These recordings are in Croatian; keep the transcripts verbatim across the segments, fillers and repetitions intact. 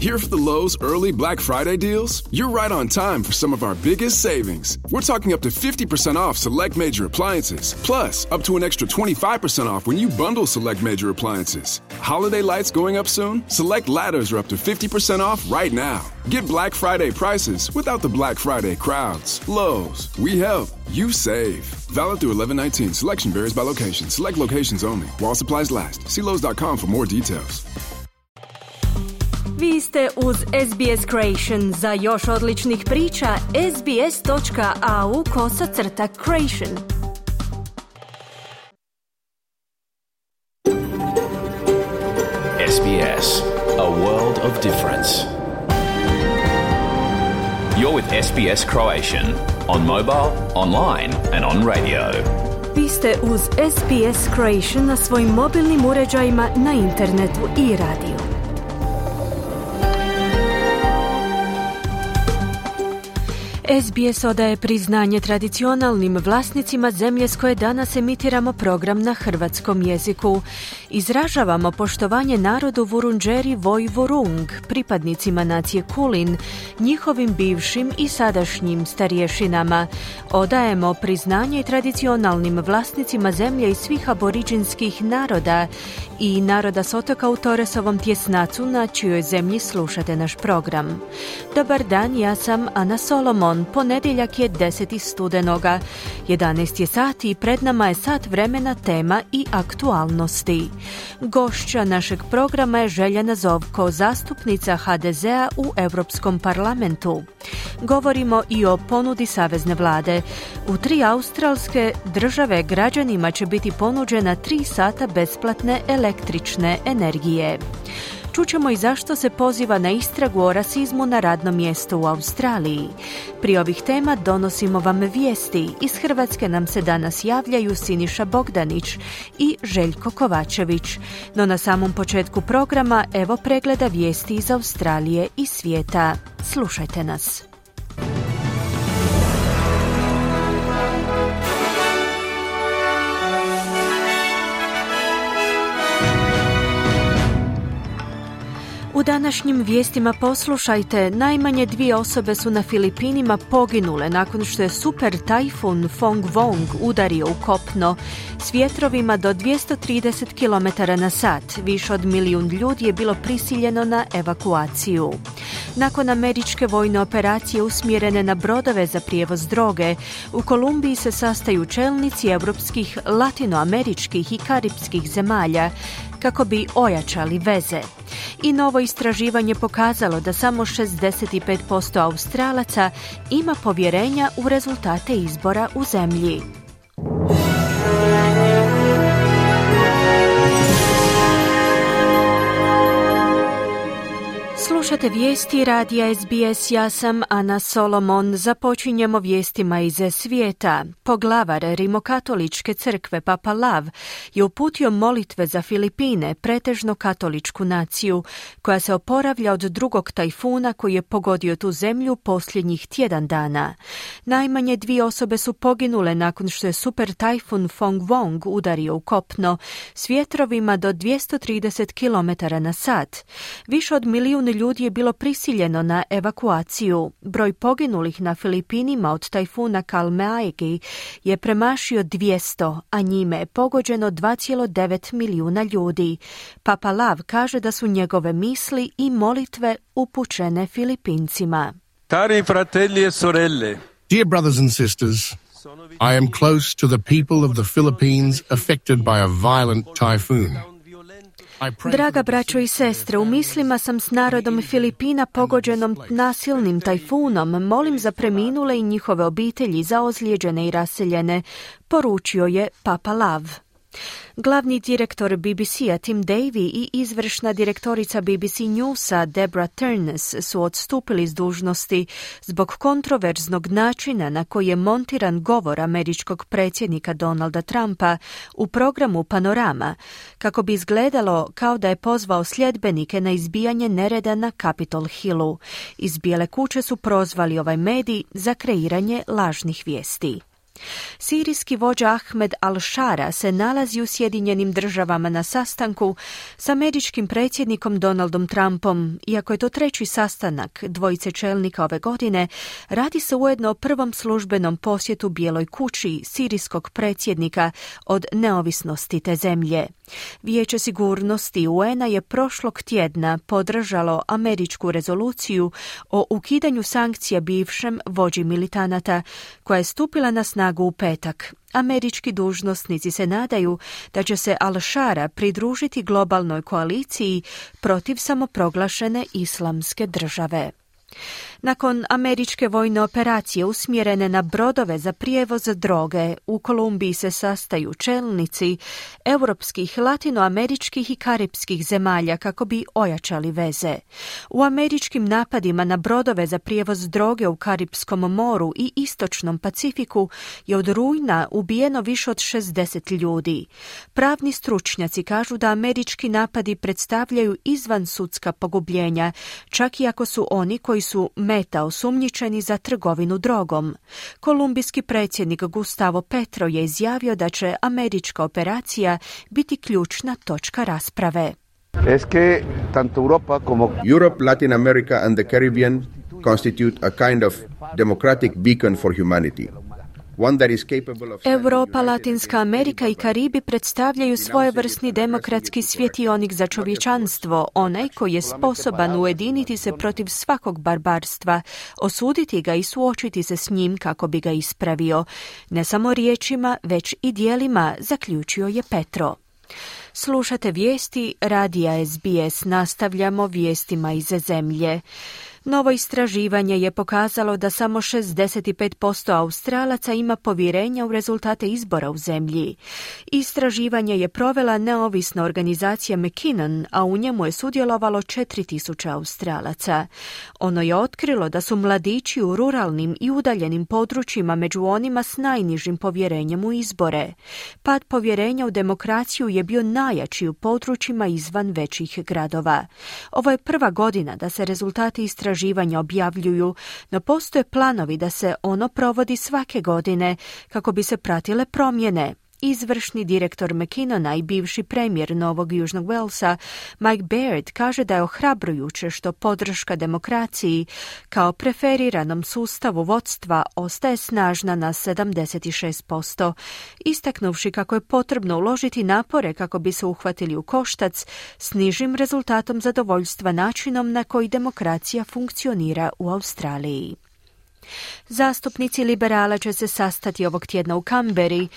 Here for the Lowe's early Black Friday deals? You're right on time for some of our biggest savings. We're talking up to fifty percent off select major appliances, plus up to an extra twenty-five percent off when you bundle select major appliances. Holiday lights going up soon? Select ladders are up to fifty percent off right now. Get Black Friday prices without the Black Friday crowds. Lowe's, we help, you save. Valid through eleven nineteen. Selection varies by location. Select locations only. While supplies last. See Lowe's dot com for more details. Vi ste uz S B S Creation. Za još odličnih priča, sbs.au kosacrta creation. S B S, a world of difference. You're with S B S Croatian on mobile, online and on radio. Vi ste uz S B S Creation na svojim mobilnim uređajima, na internetu i radiju. S B S odaje priznanje tradicionalnim vlasnicima zemlje s koje danas emitiramo program na hrvatskom jeziku. Izražavamo poštovanje narodu Vurundjeri Voi Vurung, pripadnicima nacije Kulin, njihovim bivšim i sadašnjim starješinama. Odajemo priznanje tradicionalnim vlasnicima zemlje i svih aboriđinskih naroda i naroda s otoka u Torresovom tjesnacu na čijoj zemlji slušate naš program. Dobar dan, ja sam Ana Solomon. Ponedjeljak je deseti studenoga. jedanaest je sati i pred nama je sat vremena tema i aktualnosti. Gošća našeg programa je Željana Zovko, zastupnica H D Z-a u Europskom parlamentu. Govorimo i o ponudi savezne vlade. U tri australske države građanima će biti ponuđena tri sata besplatne električne energije. Čućemo i zašto se poziva na istragu o rasizmu na radnom mjestu u Australiji. Prije ovih tema donosimo vam vijesti. Iz Hrvatske nam se danas javljaju Siniša Bogdanić i Željko Kovačević. No na samom početku programa evo pregleda vijesti iz Australije i svijeta. Slušajte nas. U današnjim vijestima poslušajte, najmanje dvije osobe su na Filipinima poginule nakon što je super tajfun Fong Vong udario u kopno s vjetrovima do dvjesto trideset kilometara na sat. Više od milijun ljudi je bilo prisiljeno na evakuaciju. Nakon američke vojne operacije usmjerene na brodove za prijevoz droge, u Kolumbiji se sastaju čelnici europskih, latinoameričkih i karipskih zemalja kako bi ojačali veze. I novo istraživanje pokazalo da samo šezdeset pet posto Australaca ima povjerenja u rezultate izbora u zemlji. Slušate vijesti radija S B S, ja sam Ana Solomon. Započinjemo vijestima iz svijeta. Poglavar Rimokatoličke crkve Papa Lav je uputio molitve za Filipine, pretežno katoličku naciju, koja se oporavlja od drugog tajfuna koji je pogodio tu zemlju posljednjih tjedan dana. Najmanje dvije osobe su poginule nakon što je super tajfun Fong Vong udario u kopno s vjetrovima do dvjesto trideset kilometara na sat. Više od milijun ljudi je bilo prisiljeno na evakuaciju. Broj poginulih na Filipinima od tajfuna Kalmeaegi je premašio dvjesto, a njime je pogođeno dva zarez devet milijuna ljudi. Papa Lav kaže da su njegove misli i molitve upućene Filipincima. Cari fratelli e sorelle. Dear brothers and sisters, I am close to the people of the Philippines affected by a violent typhoon. Draga braćo i sestre, u mislima sam s narodom Filipina pogođenom nasilnim tajfunom. Molim za preminule i njihove obitelji, za ozlijeđene i raseljene, poručio je Papa Lav. Glavni direktor B B C-a Tim Davie i izvršna direktorica B B C Newsa Deborah Turnes su odstupili s dužnosti zbog kontroverznog načina na koji je montiran govor američkog predsjednika Donalda Trumpa u programu Panorama, kako bi izgledalo kao da je pozvao sljedbenike na izbijanje nereda na Capitol Hillu. Iz Bijele kuće su prozvali ovaj medij za kreiranje lažnih vijesti. Sirijski vođa Ahmed al-Shara se nalazi u Sjedinjenim državama na sastanku s američkim predsjednikom Donaldom Trumpom. Iako je to treći sastanak dvojice čelnika ove godine, radi se ujedno o prvom službenom posjetu Bijeloj kući sirijskog predsjednika od neovisnosti te zemlje. Vijeće sigurnosti U N-a je prošlog tjedna podržalo američku rezoluciju o ukidanju sankcija bivšem vođi militanata, koja je stupila na snagu u petak. Američki dužnosnici se nadaju da će se al-Shara pridružiti globalnoj koaliciji protiv samoproglašene islamske države. Nakon američke vojne operacije usmjerene na brodove za prijevoz droge, u Kolumbiji se sastaju čelnici europskih, latinoameričkih i karipskih zemalja kako bi ojačali veze. U američkim napadima na brodove za prijevoz droge u Karipskom moru i Istočnom Pacifiku je od rujna ubijeno više od šezdeset ljudi. Pravni stručnjaci kažu da američki napadi predstavljaju izvansudska pogubljenja, čak i ako su oni koji su meta osumnjičeni za trgovinu drogom. Kolumbijski predsjednik Gustavo Petro je izjavio da će američka operacija biti ključna točka rasprave. Es que tanto Europa como Europe, Latin America and the Caribbean constitute a kind of democratic beacon for humanity. Europa, Latinska Amerika i Karibi predstavljaju svojevrsni demokratski svjetionik za čovječanstvo, onaj koji je sposoban ujediniti se protiv svakog barbarstva, osuditi ga i suočiti se s njim kako bi ga ispravio. Ne samo riječima, već i djelima, zaključio je Petro. Slušate vijesti radija S B S, nastavljamo vijestima iz zemlje. Novo istraživanje je pokazalo da samo šezdeset pet posto Australaca ima povjerenja u rezultate izbora u zemlji. Istraživanje je provela neovisna organizacija McKinnon, a u njemu je sudjelovalo četiri tisuće Australaca. Ono je otkrilo da su mladići u ruralnim i udaljenim područjima među onima s najnižim povjerenjem u izbore. Pad povjerenja u demokraciju je bio najjači u područjima izvan većih gradova. Ovo je prva godina da se rezultati istraživanja istraživanja objavljuju, no postoje planovi da se ono provodi svake godine kako bi se pratile promjene. Izvršni direktor McKinnona i bivši premijer Novog Južnog Walesa Mike Baird kaže da je ohrabrujuće što podrška demokraciji kao preferiranom sustavu vodstva ostaje snažna na sedamdeset šest posto, istaknuvši kako je potrebno uložiti napore kako bi se uhvatili u koštac s nižim rezultatom zadovoljstva načinom na koji demokracija funkcionira u Australiji. Zastupnici liberala će se sastati ovog tjedna u Canberri,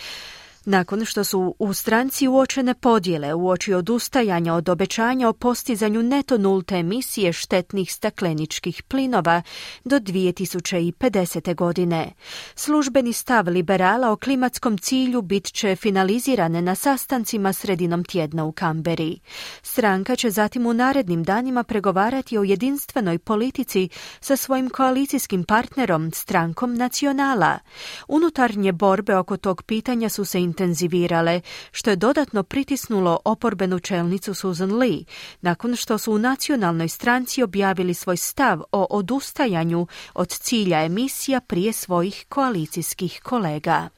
nakon što su u stranci uočene podjele uoči odustajanja od obećanja o postizanju neto nulte emisije štetnih stakleničkih plinova do dvije tisuće pedesete. godine. Službeni stav liberala o klimatskom cilju bit će finalizirane na sastancima sredinom tjedna u Canberri. Stranka će zatim u narednim danima pregovarati o jedinstvenoj politici sa svojim koalicijskim partnerom, strankom Nacionala. Unutarnje borbe oko tog pitanja su se intenzivirale, što je dodatno pritisnulo oporbenu čelnicu Susan Lee, nakon što su u nacionalnoj stranci objavili svoj stav o odustajanju od cilja emisija prije svojih koalicijskih kolega.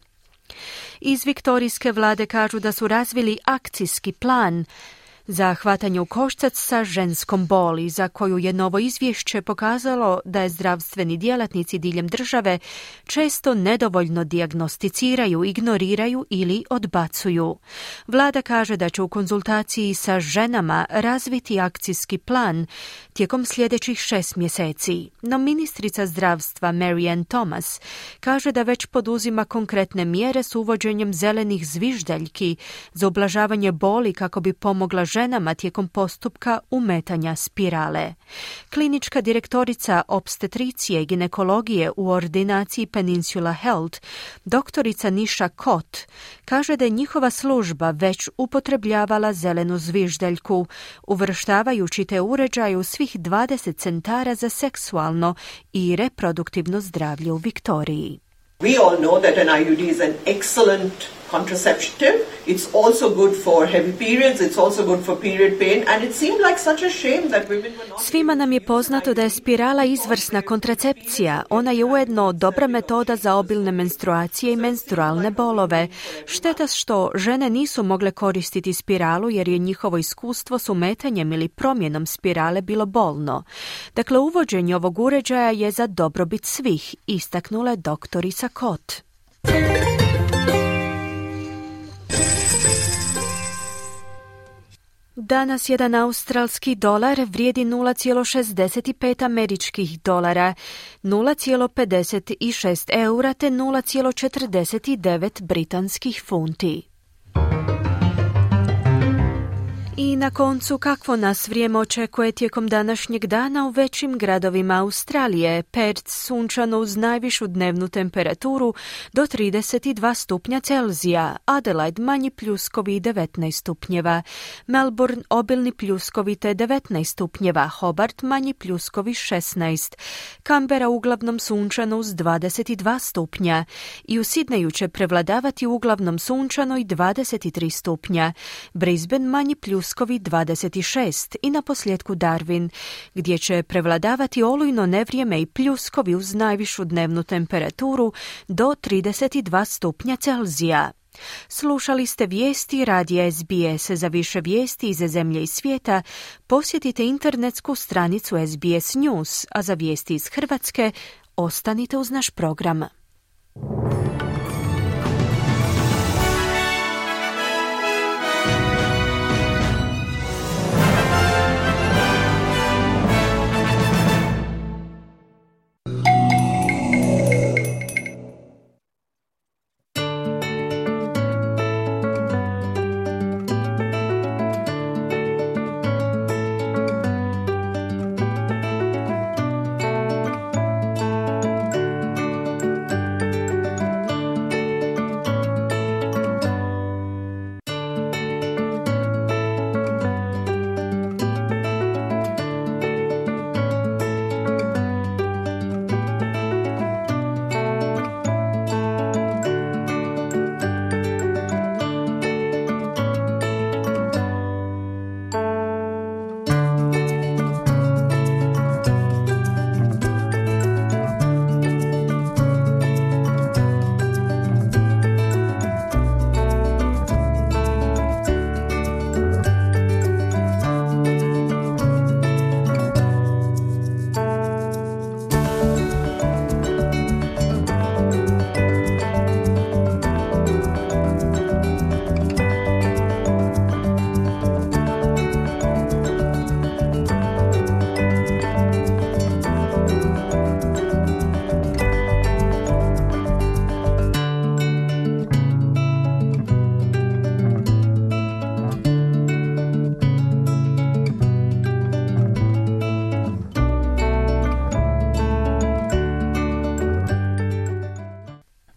Iz viktorijske vlade kažu da su razvili akcijski plan za hvatanje u koštac sa ženskom boli, za koju je novo izvješće pokazalo da je zdravstveni djelatnici diljem države često nedovoljno dijagnosticiraju, ignoriraju ili odbacuju. Vlada kaže da će u konzultaciji sa ženama razviti akcijski plan tijekom sljedećih šest mjeseci. No ministrica zdravstva Marianne Thomas kaže da već poduzima konkretne mjere s uvođenjem zelenih zviždaljki za ublažavanje boli kako bi pomogla ženama tijekom postupka umetanja spirale. Klinička direktorica opstetricije i ginekologije u ordinaciji Peninsula Health, doktorica Nisha Kot, kaže da je njihova služba već upotrebljavala zelenu zviždaljku, uvrštavajući te uređaje u svih dvadeset centara za seksualno i reproduktivno zdravlje u Viktoriji. We all know that an I U D is an excellent contraceptive. It's also good for heavy periods. It's also good for period pain. And it seemed like such a shame that women were not... Svima nam je poznato da je spirala izvrsna kontracepcija. Ona je ujedno dobra metoda za obilne menstruacije i menstrualne bolove. Šteta što žene nisu mogle koristiti spiralu jer je njihovo iskustvo s umetanjem ili promjenom spirale bilo bolno. Dakle, uvođenje ovog uređaja je za dobrobit svih, istaknula je doktorica Kot. Danas jedan australski dolar vrijedi nula zarez šezdeset pet američkih dolara, nula zarez pedeset šest eura te nula zarez četrdeset devet britanskih funti. I na koncu, kakvo nas vrijeme očekuje tijekom današnjeg dana u većim gradovima Australije? Perth sunčano uz najvišu dnevnu temperaturu do trideset dva stupnja Celzija, Adelaide manji pljuskovi devetnaest stupnjeva, Melbourne obilni pljuskovi te devetnaest stupnjeva, Hobart manji pljuskovi šesnaest, Canberra uglavnom sunčano uz dvadeset dva stupnja i u Sidneju će prevladavati uglavnom sunčano i dvadeset tri stupnja, Brisbane manji pljuskovi dvadeset šest i na posljedku Darwin, gdje će prevladavati olujno nevrijeme i pljuskovi uz najvišu dnevnu temperaturu do trideset dva stupnja Celzija. Slušali ste vijesti radija S B S. Za više vijesti iz zemlje i svijeta posjetite internetsku stranicu S B S News, a za vijesti iz Hrvatske ostanite uz naš program.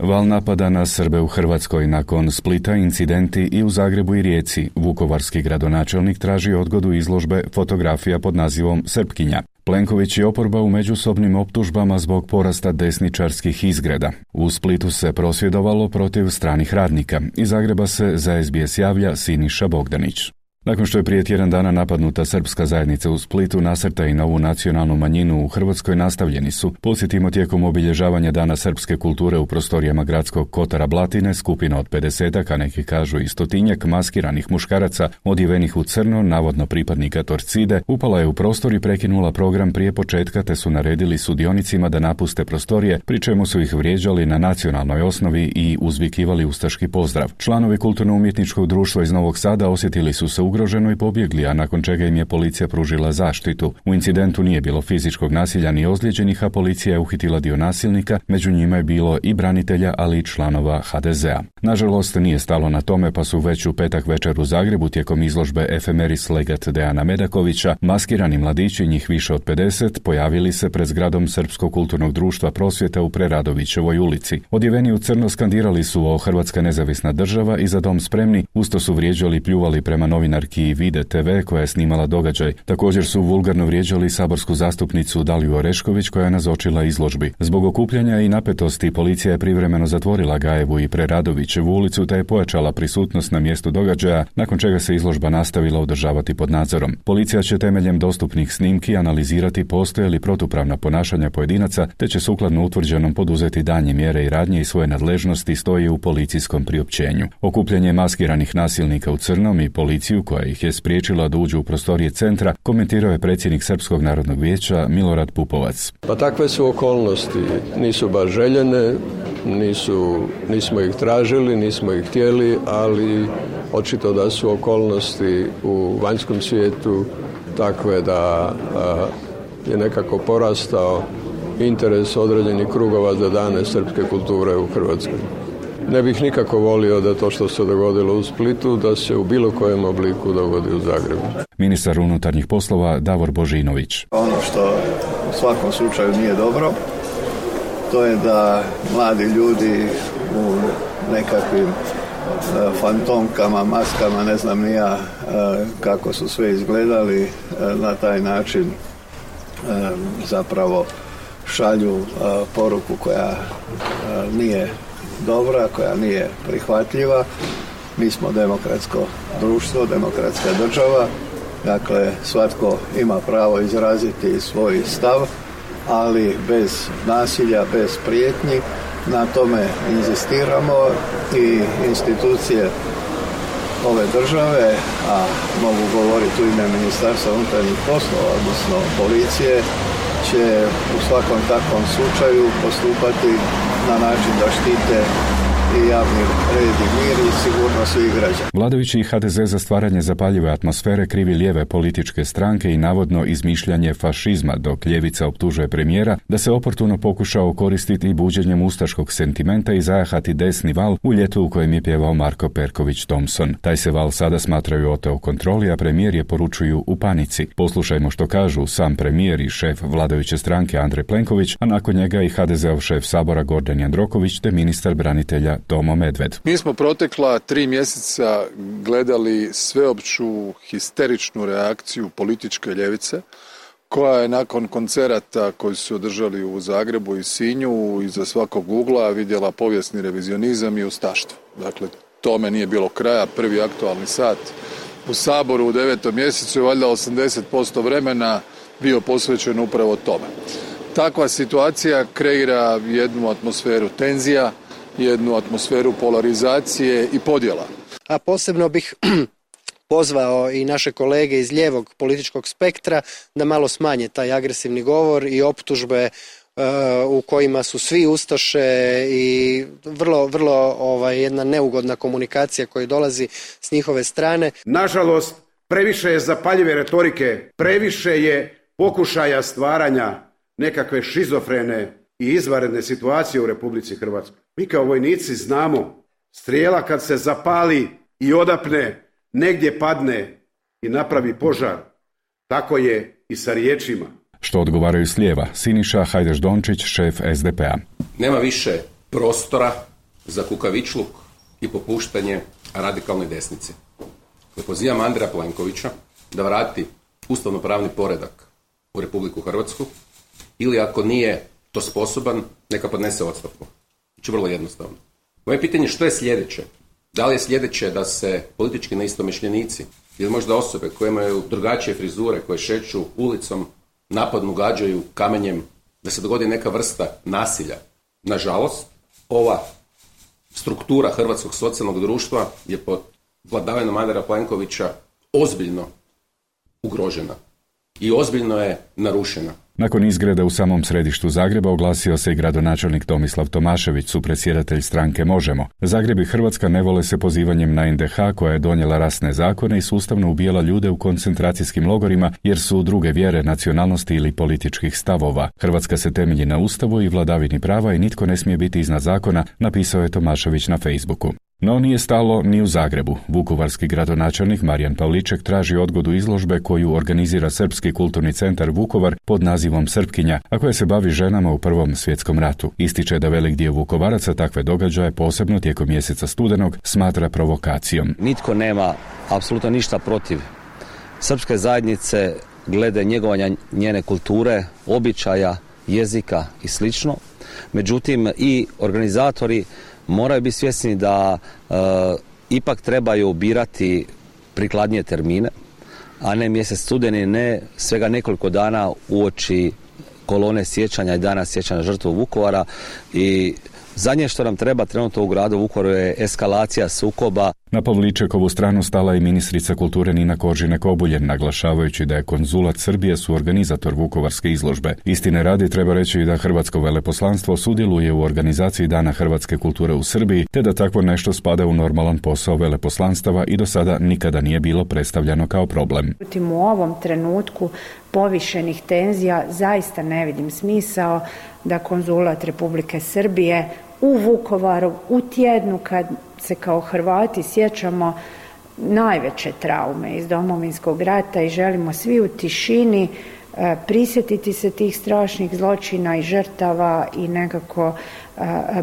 Val napada na Srbe u Hrvatskoj nakon Splita, incidenti i u Zagrebu i Rijeci. Vukovarski gradonačelnik traži odgodu izložbe fotografija pod nazivom Srpkinja. Plenković i oporba u međusobnim optužbama zbog porasta desničarskih izgreda. U Splitu se prosvjedovalo protiv stranih radnika. Iz Zagreba se za S B S javlja Siniša Bogdanić. Nakon što je prije tjedan dana napadnuta srpska zajednica u Splitu, nasrtaji na ovu nacionalnu manjinu u Hrvatskoj nastavljeni su. Podsjetimo, tijekom obilježavanja Dana srpske kulture u prostorijama gradskog Kotara Blatine, skupina od pedesetak, a neki kažu i stotinjak maskiranih muškaraca, odjevenih u crno, navodno pripadnika Torcide, upala je u prostor i prekinula program prije početka, te su naredili sudionicima da napuste prostorije, pri čemu su ih vrijeđali na nacionalnoj osnovi i uzvikivali ustaški pozdrav. Članovi kulturno-umjetničkog društva iz Novog Sada osjetili su se ugroženo i pobjegli, a nakon čega im je policija pružila zaštitu. U incidentu nije bilo fizičkog nasilja ni ozlijeđenih, a policija je uhitila dio nasilnika, među njima je bilo i branitelja, ali i članova H D Z a. Nažalost, nije stalo na tome, pa su već u petak večer u Zagrebu tijekom izložbe Efemeris Legat Dejana Medakovića maskirani mladići, njih više od pedeset, pojavili se pred zgradom Srpskog kulturnog društva Prosvjeta u Preradovićevoj ulici. Odjeveni u crno skandirali su o Hrvatska nezavisna država i Za dom spremni, usto su vrijeđali i pljuvali prema novinarki novinarki Vide te ve koja je snimala događaj. Također su vulgarno vrijeđali saborsku zastupnicu Daliju Orešković koja je nazočila izložbi. Zbog okupljanja i napetosti policija je privremeno zatvorila Gajevu i Preradovićevu ulicu te je pojačala prisutnost na mjestu događaja, nakon čega se izložba nastavila održavati pod nadzorom. Policija će temeljem dostupnih snimki analizirati postoje li protupravna ponašanja pojedinaca te će sukladno utvrđenom poduzeti daljnje mjere i radnje i svoje nadležnosti stoji u policijskom priopćenju. Okupljanje maskiranih nasilnika u crnom i policiju koja ih je spriječila da uđu u prostorije centra komentirao je predsjednik Srpskog narodnog vijeća Milorad Pupovac. Pa takve su okolnosti, nisu baš željene, nisu, nismo ih tražili, nismo ih htjeli, ali očito da su okolnosti u vanjskom svijetu takve da a, je nekako porastao interes određenih krugova za dane srpske kulture u Hrvatskoj. Ne bih nikako volio da to što se dogodilo u Splitu, da se u bilo kojem obliku dogodi u Zagrebu. Ministar unutarnjih poslova Davor Božinović. Ono što u svakom slučaju nije dobro, to je da mladi ljudi u nekakvim fantomkama, maskama, ne znam ni ja kako su sve izgledali, na taj način zapravo šalju poruku koja nije dobra, koja nije prihvatljiva. Mi smo demokratsko društvo, demokratska država, dakle svatko ima pravo izraziti svoj stav, ali bez nasilja, bez prijetnji. Na tome inzistiramo i institucije ove države, a mogu govoriti u ime Ministarstva unutarnjih poslova, odnosno policije, će u svakom takvom slučaju postupati na način da štite i javni red i mir i sigurnost svih građana. Vladajući i ha de ze za stvaranje zapaljive atmosfere krivi lijeve političke stranke i navodno izmišljanje fašizma, dok ljevica optužuje premijera da se oportuno pokušao koristiti buđenjem ustaškog sentimenta i zajahati desni val u ljetu u kojem je pjevao Marko Perković Thompson. Taj se val sada smatraju oteo kontroli, a premijer je poručuju u panici. Poslušajmo što kažu sam premijer i šef vladajuće stranke Andrej Plenković, a nakon njega i ha de zeov šef Sabora Gordan Jandroković te ministar branitelja Tomo Medved. Mi smo protekla tri mjeseca gledali sveopću histeričnu reakciju političke ljevice koja je nakon koncerata koji su održali u Zagrebu i Sinju iza svakog ugla vidjela povijesni revizionizam i ustaštvo. Dakle, tome nije bilo kraja. Prvi aktualni sat u Saboru u devetom mjesecu je valjda osamdeset posto vremena bio posvećen upravo tome. Takva situacija kreira jednu atmosferu tenzija, jednu atmosferu polarizacije i podjela. A posebno bih pozvao i naše kolege iz lijevog političkog spektra da malo smanje taj agresivni govor i optužbe uh, u kojima su svi ustaše i vrlo, vrlo ovaj, jedna neugodna komunikacija koja dolazi s njihove strane. Nažalost, previše je zapaljive retorike, previše je pokušaja stvaranja nekakve šizofrene i izvanredne situacije u Republici Hrvatskoj. Mi kao vojnici znamo, strijela kad se zapali i odapne, negdje padne i napravi požar. Tako je i sa riječima. Što odgovaraju s lijeva, Siniša Hajdaš-Dončić, šef es de pe a. Nema više prostora za kukavičluk i popuštanje radikalnoj desnici. Pozivam Andreja Plenkovića da vrati ustavno-pravni poredak u Republiku Hrvatsku ili ako nije to sposoban, neka podnese ostavku. Znači vrlo jednostavno. Moje pitanje je što je sljedeće? Da li je sljedeće da se politički neistomišljenici ili možda osobe koje imaju drugačije frizure, koje šeću ulicom, napadnu, gađaju kamenjem, da se dogodi neka vrsta nasilja? Nažalost, ova struktura hrvatskog socijalnog društva je pod vladavinom Andreja Plenkovića ozbiljno ugrožena i ozbiljno je narušena. Nakon izgreda u samom središtu Zagreba oglasio se i gradonačelnik Tomislav Tomašević, supredsjedatelj stranke Možemo. Zagreb i Hrvatska ne vole se pozivanjem na en de ha koja je donijela rasne zakone i sustavno ubijala ljude u koncentracijskim logorima jer su druge vjere, nacionalnosti ili političkih stavova. Hrvatska se temelji na Ustavu i vladavini prava i nitko ne smije biti iznad zakona, napisao je Tomašević na Facebooku. No nije stalo ni u Zagrebu. Vukovarski gradonačelnik Marijan Pavliček traži odgodu izložbe koju organizira Srpski kulturni centar Vukovar pod nazivom Srpkinja, a koja se bavi ženama u Prvom svjetskom ratu. Ističe da velik dio Vukovaraca takve događaje, posebno tijekom mjeseca studenog, smatra provokacijom. Nitko nema apsolutno ništa protiv srpske zajednice glede njegovanja njene kulture, običaja, jezika i slično. Međutim, i organizatori moraju biti svjesni da e, ipak trebaju birati prikladnije termine, a ne mjesec studeni, ne svega nekoliko dana uoči kolone sjećanja i dana sjećanja žrtvu Vukovara. I zadnje što nam treba trenutno u gradu Vukovaru je eskalacija sukoba. Na Pavličekovu stranu stala i ministrica kulture Nina Koržinek-Obuljen, naglašavajući da je konzulat Srbije suorganizator vukovarske izložbe. Istine radi treba reći da hrvatsko veleposlanstvo sudjeluje u organizaciji Dana hrvatske kulture u Srbiji, te da takvo nešto spada u normalan posao veleposlanstava i do sada nikada nije bilo predstavljano kao problem. U ovom trenutku povišenih tenzija zaista ne vidim smisao da konzulat Republike Srbije u Vukovaru u tjednu kad se kao Hrvati sjećamo najveće traume iz Domovinskog rata i želimo svi u tišini e, prisjetiti se tih strašnih zločina i žrtava i nekako e,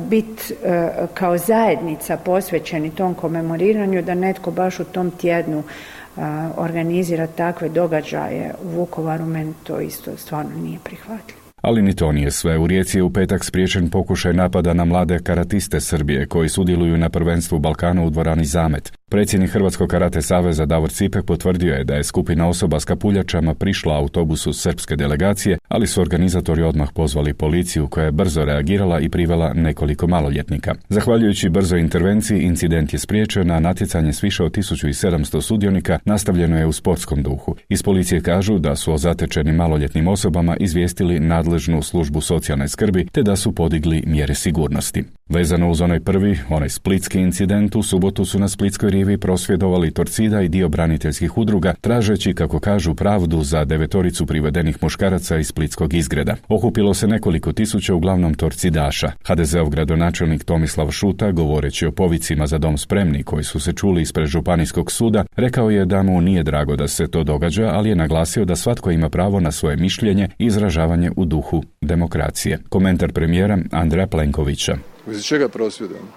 biti e, kao zajednica posvećeni tom komemoriranju, da netko baš u tom tjednu e, organizira takve događaje u Vukovaru, meni to isto stvarno nije prihvatljivo. Ali ni to nije sve. U Rijeci je u petak spriječen pokušaj napada na mlade karatiste Srbije koji sudjeluju na prvenstvu Balkana u dvorani Zamet. Predsjednik Hrvatskog karate saveza Davor Cipek potvrdio je da je skupina osoba s kapuljačama prišla autobusu srpske delegacije, ali su organizatori odmah pozvali policiju koja je brzo reagirala i privela nekoliko maloljetnika. Zahvaljujući brzoj intervenciji, incident je spriječen, a natjecanje s više od tisuću sedamsto sudionika nastavljeno je u sportskom duhu. Iz policije kažu da su o zatečenim maloljetnim osobama izvijestili nadležnu službu socijalne skrbi te da su podigli mjere sigurnosti. Vezano uz onaj prvi, onaj splitski incident, u subotu su na Splitskoj rivi prosvjedovali Torcida i dio braniteljskih udruga, tražeći, kako kažu, pravdu za devetoricu privedenih muškaraca iz splitskog izgreda. Okupilo se nekoliko tisuća, uglavnom torcidaša. ha de zeov gradonačelnik Tomislav Šuta, govoreći o povicima za dom spremni koji su se čuli ispred županijskog suda, rekao je da mu nije drago da se to događa, ali je naglasio da svatko ima pravo na svoje mišljenje i izražavanje u duhu demokracije. Komentar premijera Andreja Plenkovića. Iz čega prosvjedujemo?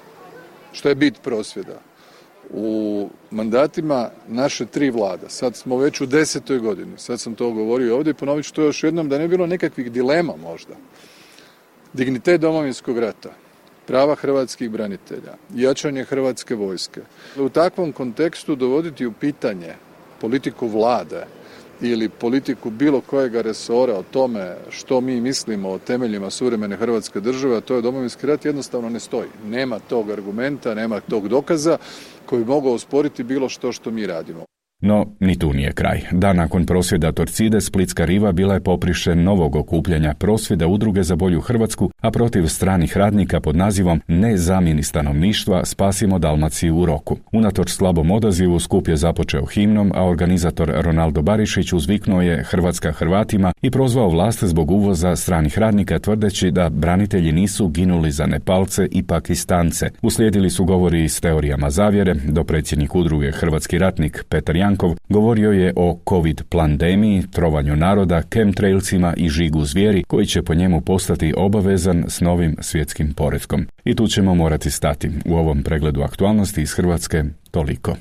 Što je bit prosvjeda? U mandatima naše tri vlada, sad smo već u desetoj godini, sad sam to govorio ovdje i ponovit ću to još jednom da ne bi bilo nekakvih dilema možda. Dignitet Domovinskog rata, prava hrvatskih branitelja, jačanje hrvatske vojske. U takvom kontekstu dovoditi u pitanje politiku vlade ili politiku bilo kojega resora o tome što mi mislimo o temeljima suvremene Hrvatske države, a to je Domovinski rat, jednostavno ne stoji. Nema tog argumenta, nema tog dokaza koji bi mogao osporiti bilo što što mi radimo. No, ni tu nije kraj. Dan nakon prosvjeda Torcide, Splitska riva bila je poprište novog okupljanja prosvjeda Udruge za bolju Hrvatsku, a protiv stranih radnika pod nazivom Ne zamjeni stanovništva, spasimo Dalmaciju u roku. Unatoč slabom odazivu, skup je započeo himnom, a organizator Ronaldo Barišić uzviknuo je Hrvatska Hrvatima i prozvao vlast zbog uvoza stranih radnika, tvrdeći da branitelji nisu ginuli za Nepalce i Pakistance. Uslijedili su govori s teorijama zavjere, do predsjednik udruge Hrvatski ratnik Petar Jankov govorio je o covid plandemiji, trovanju naroda, chemtrailsima i žigu zvijeri koji će po njemu postati obavezan s novim svjetskim poretkom. I tu ćemo morati stati. U ovom pregledu aktualnosti iz Hrvatske toliko.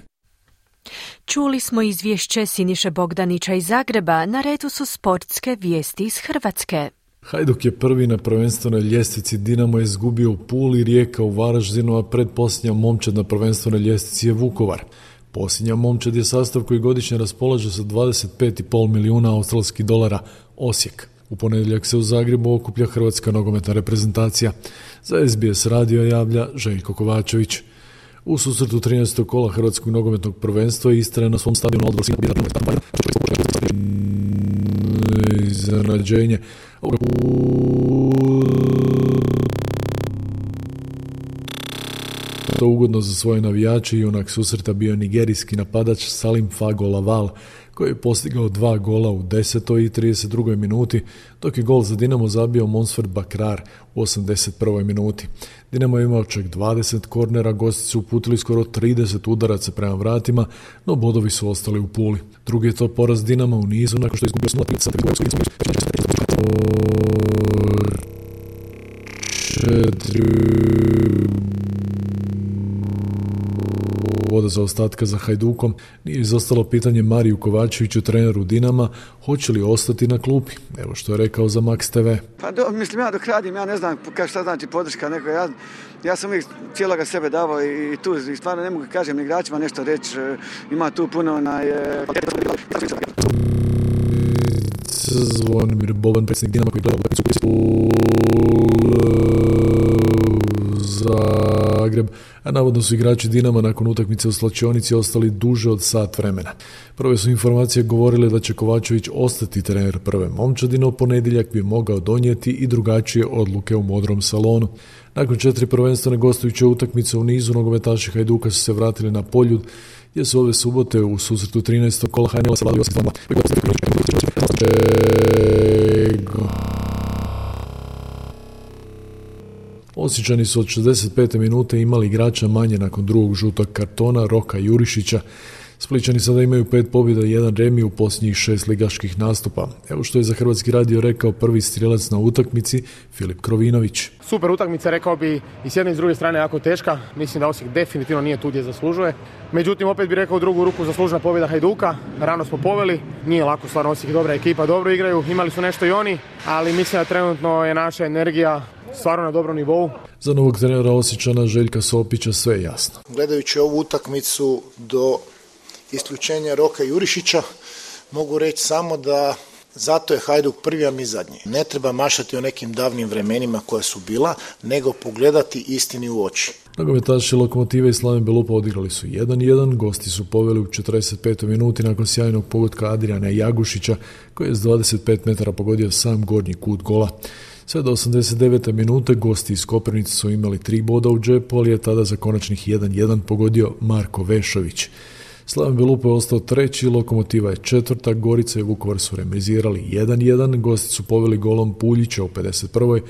Čuli smo izvješće Siniše Bogdanića iz Zagreba, na redu su sportske vijesti iz Hrvatske. Hajduk je prvi na prvenstvenoj ljestvici, Dinamo je izgubio u Puli, Rijeka u Varaždinu, a predposljednja momčad na prvenstvenoj ljestvici je Vukovar. Posljednja momčad je sastav koji godišnje raspolaže sa dvadeset pet zarez pet milijuna australskih dolara, Osijek. U ponedjeljak se u Zagrebu okuplja hrvatska nogometna reprezentacija. Za es be es radio javlja Željko Kovačević. U susretu trinaestog kola hrvatskog nogometnog prvenstva Istra na svom stadionu odbor Sina pobjeda iznenađenje. To ugodno za svoje navijače i junak susreta bio nigerijski napadač Salim Fago Laval, koji je postigao dva gola u desetoj i trideset drugoj minuti, dok je gol za Dinamo zabio Monsford Bakrar u osamdeset prvoj minuti. Dinamo je imao čak dvadeset kornera, gosti su uputili skoro trideset udaraca prema vratima, no bodovi su ostali u Puli. Drugi je to poraz Dinama u nizu nakon što je izgubio nula sa četiri do zaostatka za Hajdukom, nije izostalo pitanje Mariju Kovačeviću, treneru Dinama, hoće li ostati na klupi. Evo što je rekao za Max te ve. Pa do, mislim, ja dok radim, ja ne znam šta znači podrška neko. Ja, ja sam uvijek cijeloga sebe davao i, i tu i stvarno ne mogu kažem igračima nešto reći. Ima tu puno na... Je... Zvonimir Boban, predsjednik Dinama koji gleda u Zagreb, a navodno su igrači Dinama nakon utakmice u slačionici ostali duže od sat vremena. Prve su informacije govorile da će Kovačević ostati trener prve momčadine, u ponedjeljak bi mogao donijeti i drugačije odluke u modrom salonu. Nakon četiri prvenstvene gostujuće utakmice u nizu, nogometaši Hajduka su se vratili na Poljud, gdje su ove subote u susretu trinaestog kola H N L-a savladali osam dva. Osječani su od šezdeset pete minute imali igrača manje nakon drugog žutog kartona Roka Jurišića. Splićani sada imaju pet pobjeda i jedan remi u posljednjih šest ligaških nastupa. Evo što je za Hrvatski radio rekao prvi strijelac na utakmici Filip Krovinović. Super utakmica, rekao bi i s jedne i s druge strane jako teška. Mislim da Osijek definitivno nije tu gdje zaslužuje. Međutim, opet bih rekao u drugu ruku zaslužena pobjeda Hajduka. Rano smo poveli, nije lako, stvarno Osijek dobra ekipa, dobro igraju, imali su nešto i oni, ali mislim da trenutno je naša energija stvarno na dobrom nivou. Za novog trenera Osječana Željka Sopića sve je jasno. Gledajući ovu utakmicu do isključenja Roka Jurišića, mogu reći samo da zato je Hajduk prvi, a mi zadnji. Ne treba mašati o nekim davnim vremenima koja su bila, nego pogledati istini u oči. Nogometaši Lokomotive i Slaven Belupa odigrali su jedan jedan, gosti su poveli u četrdeset petoj minuti nakon sjajnog pogotka Adriana Jagušića, koji je s dvadeset pet metara pogodio sam gornji kut gola. Sve do osamdeset devete minute gosti iz Koprivnice su imali tri boda u džepu, ali je tada za konačnih jedan jedan pogodio Marko Vešović. Slaven Belupa je ostao treći, Lokomotiva je četvrta, Gorica i Vukovar su remizirali jedan jedan, gosti su poveli golom Puljića u pedeset prvoj,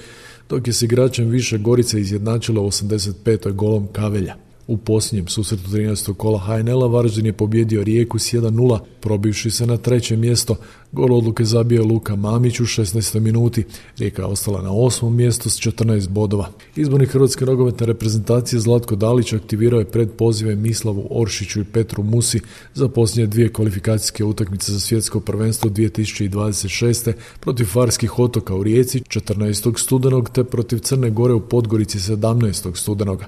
dok je s igračem više Gorica izjednačila u osamdeset petoj golom Kavelja. U posljednjem susretu trinaestog kola H N L-a Varaždin je pobjedio Rijeku s jedan nula, probivši se na treće mjesto. Gol odluke zabio Luka Mamić u šesnaestoj minuti. Rijeka je ostala na osmom mjestu s četrnaest bodova. Izbornik Hrvatske nogometne reprezentacije Zlatko Dalić aktivirao je pred pozive Mislavu Oršiću i Petru Musi za posljednje dvije kvalifikacijske utakmice za svjetsko prvenstvo dvije tisuće dvadeset šeste protiv Farskih otoka u Rijeci četrnaestog studenog te protiv Crne Gore u Podgorici sedamnaestog studenoga.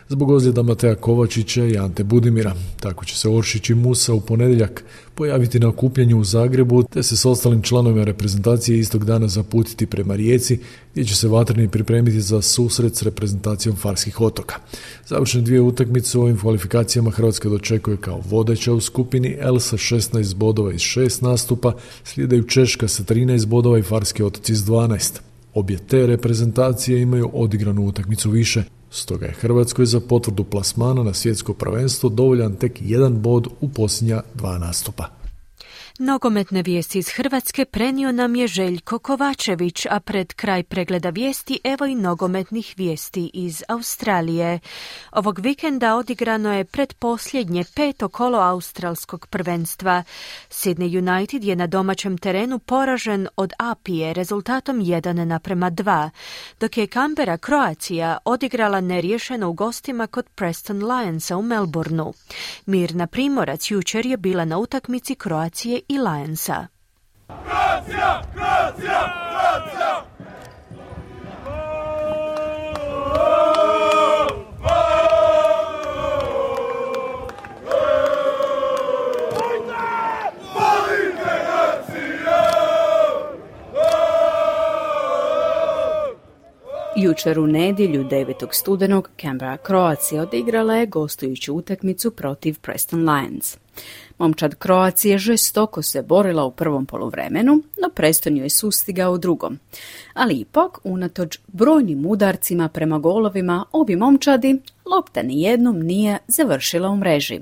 Zbog ozljeda Mateja Kovačića i Ante Budimira. Tako će se Oršić i Musa u ponedjeljak pojaviti na okupljanju u Zagrebu, te se s ostalim članovima reprezentacije istog dana zaputiti prema Rijeci, gdje će se vatreni pripremiti za susret s reprezentacijom Farskih otoka. Završene dvije utakmice u ovim kvalifikacijama Hrvatska dočekuje kao vodeća u skupini L sa šesnaest bodova iz šest nastupa, slijedaju Češka sa trinaest bodova i Farski otoci s dvanaest. Obje te reprezentacije imaju odigranu utakmicu više. Stoga je Hrvatskoj za potvrdu plasmana na svjetsko prvenstvo dovoljan tek jedan bod u posljednja dva nastupa. Nogometne vijesti iz Hrvatske prenio nam je Željko Kovačević, a pred kraj pregleda vijesti evo i nogometnih vijesti iz Australije. Ovog vikenda odigrano je predposljednje peto kolo australskog prvenstva. Sydney United je na domaćem terenu poražen od Apije rezultatom jedan naprema dva, dok je Canberra Croatia odigrala neriješeno u gostima kod Preston Lionsa u Melbourneu. Mirna Primorac jučer je bila na utakmici Croacije i Lionsa. Croatia! Croatia! Croatia! Jučer u nedjelju devetog studenog Canberra Croatia odigrala je gostujuću utakmicu protiv Preston Lions. Momčad Croacije žestoko se borila u prvom poluvremenu, no Preston joj je sustigao u drugom. Ali ipak, unatoč brojnim udarcima prema golovima obi momčadi, lopta nijednom nije završila u mreži.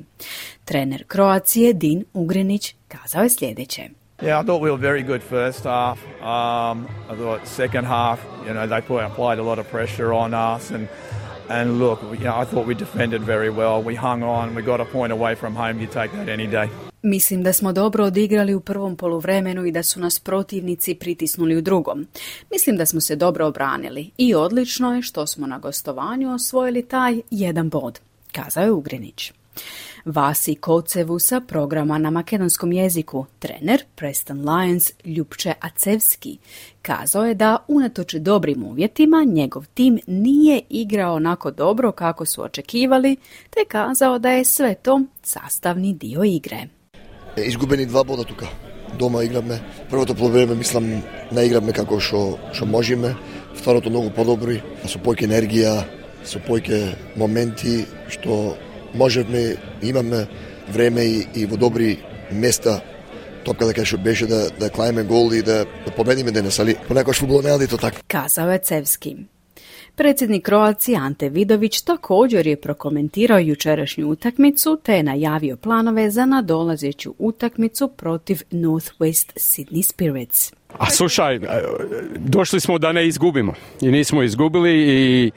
Trener Croacije Din Ugrinić kazao je sljedeće. Yeah, I thought we were very good first half. Um, I thought second half, you know, they put, applied a lot of pressure on us, and and look, you know, I thought we defended very well. We hung on. We got a point away from home. You take that any day. Mislim da smo dobro odigrali u prvom poluvremenu i da su nas protivnici pritisnuli u drugom. Mislim da smo se dobro obranili i odlično je što smo na gostovanju osvojili taj jedan bod, kazao je Ugrinić. Vasi Kocevu sa programa na makedonskom jeziku, trener Preston Lions Ljupče Acevski, kazao je da unatoč dobrim uvjetima njegov tim nije igrao onako dobro kako su očekivali, te kazao da je sve to sastavni dio igre. Izgubeni dva boda tuka. Doma igrame. Prvото полувреме мислам не играме како што што можеме. Второто многу подобри, со појќе енергија, со појќе моменти што можеме, имаме време и, и во добри места топка дека што беше да да клајме гол и да, да победиме денес, али понекогаш фудбал не е тоа така. Kazao je Cevski. Predsjednik Kroacije Ante Vidović također je prokomentirao jučerašnju utakmicu te je najavio planove za nadolazeću utakmicu protiv Northwest Sydney Spirits. A slušaj, došli smo da ne izgubimo i nismo izgubili i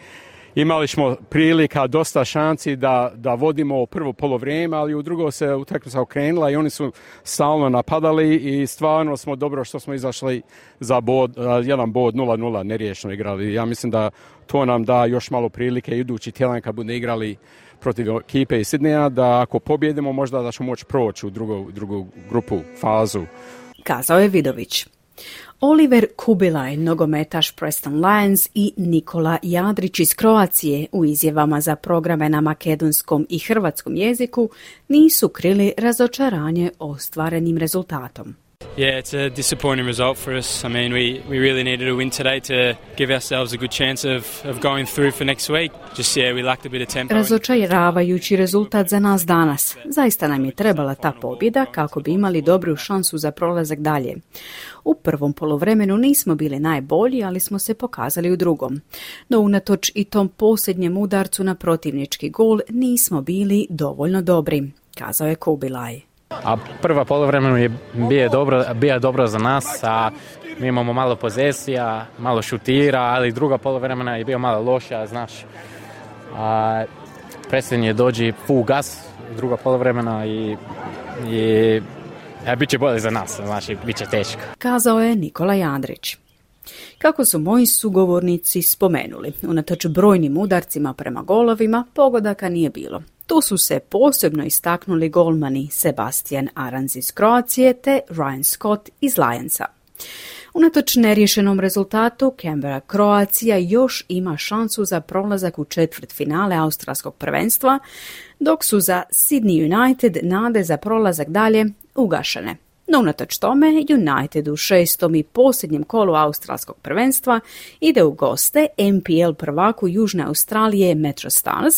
imali smo prilika, dosta šanci da, da vodimo prvo polovrijeme, ali u drugo se utakmica okrenula i oni su stalno napadali i stvarno smo dobro što smo izašli za bod, jedan bod nula nula neriješeno igrali. Ja mislim da to nam da još malo prilike idući tjedan kad bude igrali protiv ekipe iz Sidneja, da ako pobjedimo možda da ćemo moći proći u drugu, drugu grupu, fazu. Kazao je Vidović. Oliver Kubilaj, nogometaš Preston Lions i Nikola Jadrić iz Kroacije u izjavama za programe na makedonskom i hrvatskom jeziku nisu krili razočaranje ostvarenim rezultatom. Yeah, it's a disappointing result for us. I mean, we, we really needed a win today to give ourselves a good chance of, of going through for next week. Just, yeah, we lacked a bit of tempo. Razočaravajući rezultat za nas danas. Zaista nam je trebala ta pobjeda kako bi imali dobru šansu za prolazak dalje. U prvom poluvremenu nismo bili najbolji, ali smo se pokazali u drugom. No unatoč i tom posljednjem udarcu na protivnički gol nismo bili dovoljno dobri, kazao je Kubilaj. A prva poluvremenu je bio dobro, bio dobro za nas, a mi imamo malo pozesija, malo šutira, ali druga poluvremena je bio malo loša, znaš. A predsjednje dođi full gas, druga poluvremena i, i a, bit će bolje za nas, znači bit će teško. Kazao je Nikola Jandrić. Kako su moji sugovornici spomenuli, unatoč brojnim udarcima prema golovima, pogodaka nije bilo. Tu su se posebno istaknuli golmani Sebastian Aranz iz Kroacije te Ryan Scott iz Lionsa. Unatoč neriješenom rezultatu, Canberra Kroacija još ima šansu za prolazak u četvrtfinale australskog prvenstva, dok su za Sydney United nade za prolazak dalje ugašene. No unatoč tome, United u šestom i posljednjem kolu australskog prvenstva ide u goste N P L prvaku Južne Australije Metro Stars.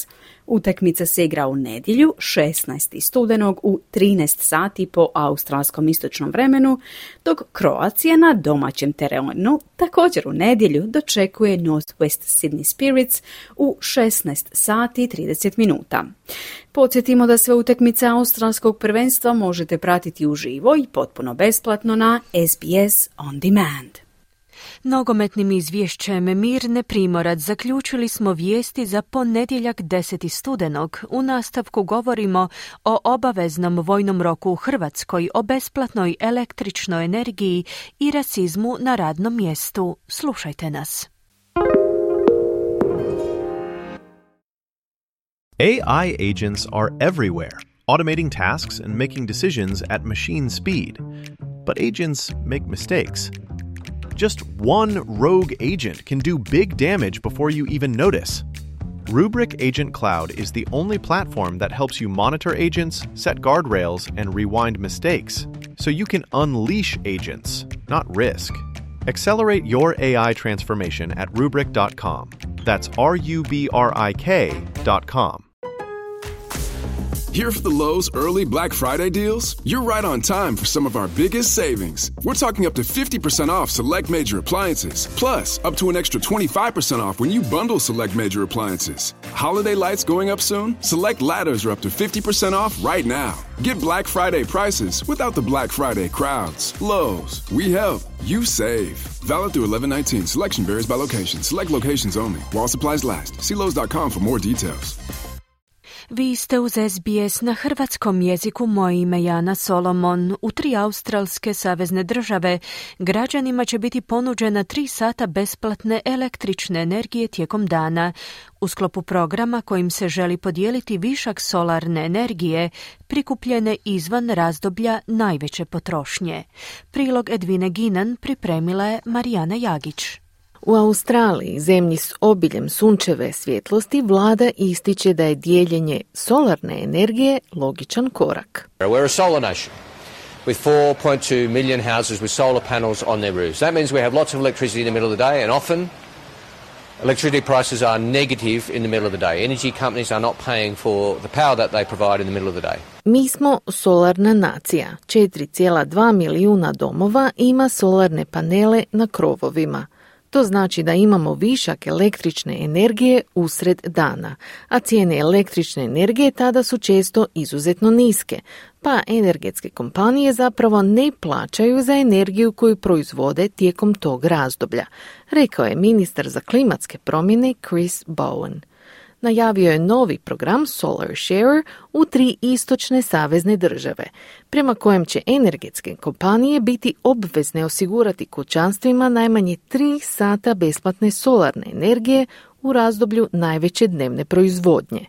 Utakmica se igra u nedjelju šesnaestog studenog u trinaest sati po australskom istočnom vremenu, dok Kroacija na domaćem terenu također u nedjelju dočekuje Northwest Sydney Spirits u šesnaest sati i trideset minuta. Podsjetimo da sve utakmice australskog prvenstva možete pratiti uživo i potpuno besplatno na S B S On Demand. Nogometnim izvješćem Mirne Primorac zaključili smo vijesti za ponedjeljak deseti studenog. U nastavku govorimo o obaveznom vojnom roku u Hrvatskoj, o besplatnoj električnoj energiji i rasizmu na radnom mjestu. Slušajte nas. A I agents are everywhere, automating tasks and making decisions at machine speed. But agents make mistakes. Just one rogue agent can do big damage before you even notice. Rubrik Agent Cloud is the only platform that helps you monitor agents, set guardrails, and rewind mistakes, so you can unleash agents, not risk. Accelerate your A I transformation at rubrik dot com. That's R U B R I K dot com. Here for the Lowe's early Black Friday deals? You're right on time for some of our biggest savings. We're talking up to fifty percent off select major appliances, plus up to an extra twenty-five percent off when you bundle select major appliances. Holiday lights going up soon? Select ladders are up to fifty percent off right now. Get Black Friday prices without the Black Friday crowds. Lowe's, we help, you save. Valid through eleven nineteen. Selection varies by location. Select locations only. While supplies last. See Lowe's dot com for more details. Vi ste uz S B S na hrvatskom jeziku. Moje ime Jana Solomon. U tri australske savezne države građanima će biti ponuđena tri sata besplatne električne energije tijekom dana. U sklopu programa kojim se želi podijeliti višak solarne energije prikupljene izvan razdoblja najveće potrošnje. Prilog Edvine Ginan pripremila je Marijana Jagić. U Australiji, zemlji s obiljem sunčeve svjetlosti, vlada ističe da je dijeljenje solarne energije logičan korak. We're a solar nation with four point two million houses with solar panels on their roofs. That means we have lots of electricity in the middle of the day, and often electricity prices are negative in the middle of the day. Energy companies are not paying for the power that they provide in the middle of the day. Mi smo solarna nacija. četiri zarez dva milijuna domova ima solarne panele na krovovima. To znači da imamo višak električne energije usred dana, a cijene električne energije tada su često izuzetno niske, pa energetske kompanije zapravo ne plaćaju za energiju koju proizvode tijekom tog razdoblja, rekao je ministar za klimatske promjene Chris Bowen. Najavio je novi program Solar Share u tri istočne savezne države, prema kojem će energetske kompanije biti obvezne osigurati kućanstvima najmanje tri sata besplatne solarne energije u razdoblju najveće dnevne proizvodnje.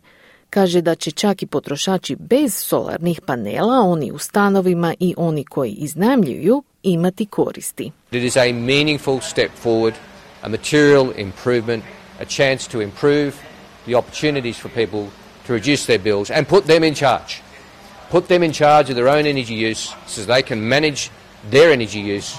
Kaže da će čak i potrošači bez solarnih panela, oni u stanovima i oni koji iznajmljuju, imati koristi. It is a meaningful step forward, a material improvement, a chance to improve the opportunities for people to reduce their bills and put them in charge. Put them in charge of their own energy use so they can manage their energy use.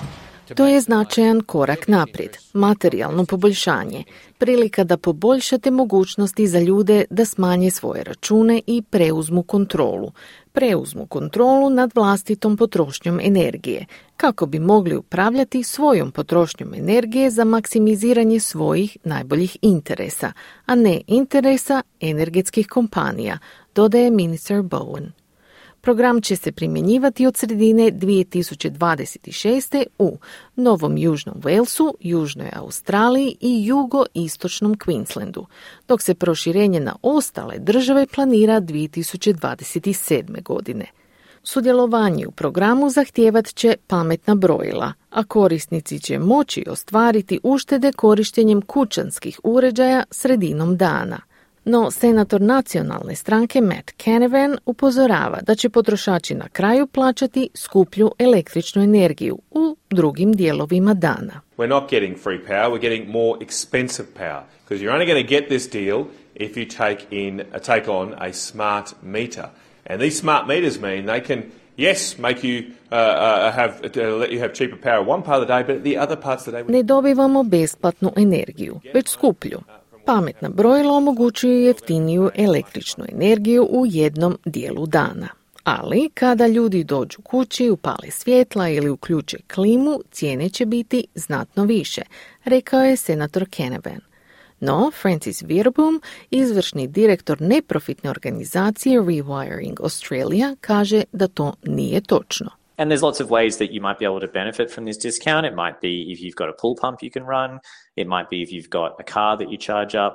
To je značajan korak naprijed, materijalno poboljšanje, prilika da poboljšate mogućnosti za ljude da smanje svoje račune i preuzmu kontrolu. Preuzmu kontrolu nad vlastitom potrošnjom energije, kako bi mogli upravljati svojom potrošnjom energije za maksimiziranje svojih najboljih interesa, a ne interesa energetskih kompanija, dodaje ministar Bowen. Program će se primjenjivati od sredine dvije tisuće dvadeset šeste. u Novom Južnom Walesu, Južnoj Australiji i jugoistočnom Queenslandu, dok se proširenje na ostale države planira dvije tisuće dvadeset sedme. godine. Sudjelovanje u programu zahtijevat će pametna brojila, a korisnici će moći ostvariti uštede korištenjem kućanskih uređaja sredinom dana. No, senator nacionalne stranke Matt Canavan upozorava da će potrošači na kraju plaćati skuplju električnu energiju u drugim dijelovima dana. We're not getting free power, we're getting more expensive power. Because you're only going to get this deal if you take in uh, take on a smart meter. And these smart meters mean they can yes, make you uh, uh, have uh, let you have cheaper power one part of the day, but the other parts of the day. Ne dobivamo besplatnu energiju, već skuplju. Pametna brojila omogućuju jeftiniju električnu energiju u jednom dijelu dana. Ali kada ljudi dođu kući, upale svjetla ili uključe klimu, cijene će biti znatno više, rekao je senator Canavan. No, Francis Veerboom, izvršni direktor neprofitne organizacije Rewiring Australia, kaže da to nije točno. And there's lots of ways that you might be able to benefit from this discount. It might be if you've got a pool pump you can run. It might be if you've got a car that you charge up.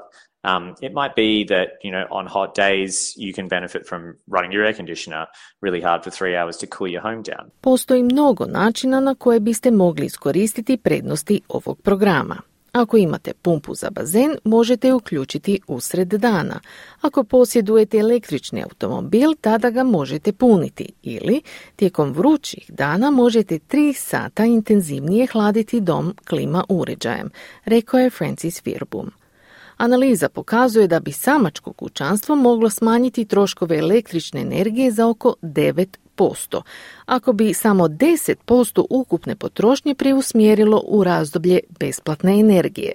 Um, it might be that, you know, on hot days you can benefit from running your air conditioner really hard for three hours to cool your home down. Postoji mnogo načina na koje biste mogli iskoristiti prednosti ovog programa. Ako imate pumpu za bazen, možete je uključiti usred dana. Ako posjedujete električni automobil, tada ga možete puniti. Ili, tijekom vrućih dana možete tri sata intenzivnije hladiti dom klima uređajem, rekao je Francis Veerboom. Analiza pokazuje da bi samačko kućanstvo moglo smanjiti troškove električne energije za oko devet posto, ako bi samo deset posto ukupne potrošnje preusmjerilo u razdoblje besplatne energije.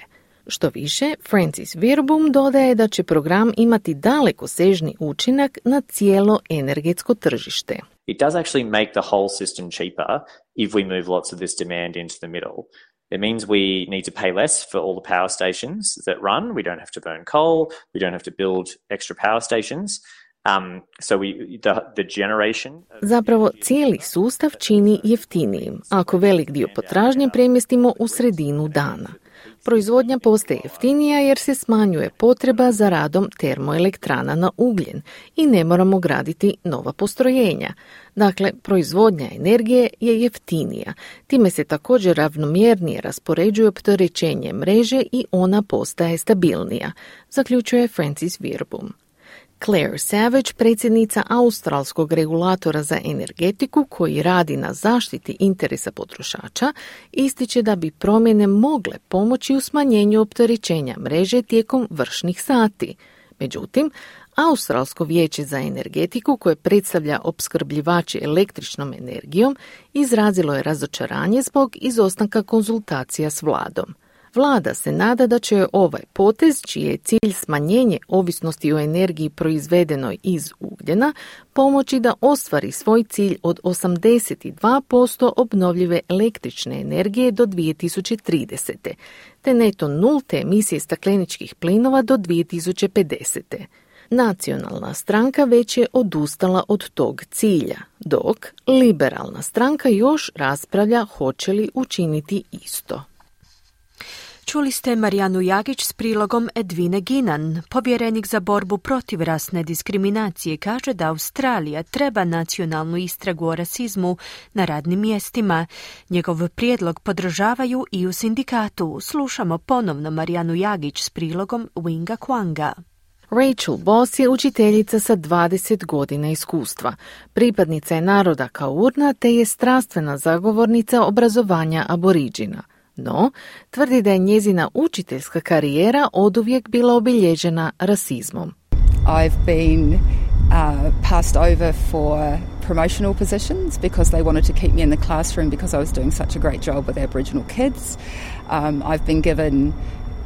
Što više, Francis Veerboom dodaje da će program imati dalekosežni učinak na cijelo energetsko tržište. It does actually make the whole system cheaper if we move lots of this demand into the middle. It means we need to pay less for all the power stations that run. We don't have to burn coal. We don't have to build extra power stations. Um, so we, the, the generation... Zapravo cijeli sustav čini jeftinijim ako velik dio potražnje premjestimo u sredinu dana. Proizvodnja postaje jeftinija jer se smanjuje potreba za radom termoelektrana na ugljen i ne moramo graditi nova postrojenja. Dakle, proizvodnja energije je jeftinija. Time se također ravnomjernije raspoređuje opterećenje mreže i ona postaje stabilnija, zaključuje Francis Wirbum. Claire Savage, predsjednica australskog regulatora za energetiku koji radi na zaštiti interesa potrošača, ističe da bi promjene mogle pomoći u smanjenju opterećenja mreže tijekom vršnih sati. Međutim, Australsko vijeće za energetiku, koje predstavlja opskrbljivače električnom energijom, izrazilo je razočaranje zbog izostanka konzultacija s vladom. Vlada se nada da će ovaj potez, čiji je cilj smanjenje ovisnosti o energiji proizvedenoj iz ugljena, pomoći da ostvari svoj cilj od osamdeset dva posto obnovljive električne energije do dvije tisuće tridesete. te neto nulte emisije stakleničkih plinova do dvije tisuće pedesete. Nacionalna stranka već je odustala od tog cilja, dok liberalna stranka još raspravlja hoće li učiniti isto. Čuli ste Marijanu Jagić s prilogom Edvine Ginan. Povjerenik za borbu protiv rasne diskriminacije kaže da Australija treba nacionalnu istragu o rasizmu na radnim mjestima. Njegov prijedlog podržavaju i u sindikatu. Slušamo ponovno Marijanu Jagić s prilogom Winga Kwanga. Rachel Boss je učiteljica sa dvadeset godina iskustva. Pripadnica je naroda Kaurna te je strastvena zagovornica obrazovanja aboriđina. No, tvrdi da je njezina učiteljska karijera oduvijek bila obilježena rasizmom. I've been uh, passed over for promotional positions because they wanted to keep me in the classroom because I was doing such a great job with Aboriginal kids. Um, I've been given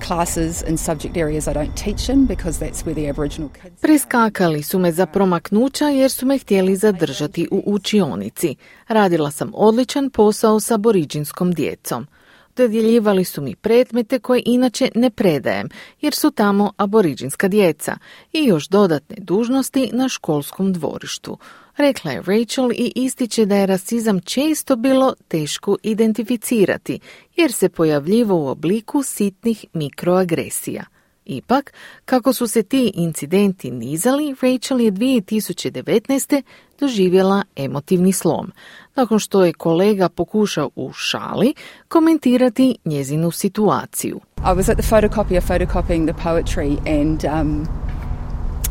classes in subject areas I don't teach in because that's where the Aboriginal kids... Preskakali su me za promaknuća jer su me htjeli zadržati u učionici. Radila sam odličan posao s aboriđinskom djecom. Dodjeljivali su mi predmete koje inače ne predajem, jer su tamo aboriđinska djeca i još dodatne dužnosti na školskom dvorištu. Rekla je Rachel i ističe da je rasizam često bilo teško identificirati, jer se pojavljivo u obliku sitnih mikroagresija. Ipak, kako su se ti incidenti nizali, Rachel je dvije tisuće devetnaeste. doživjela emotivni slom, nakon što je kolega pokušao u šali komentirati njezinu situaciju. I was at the photocopier photocopying the poetry and um,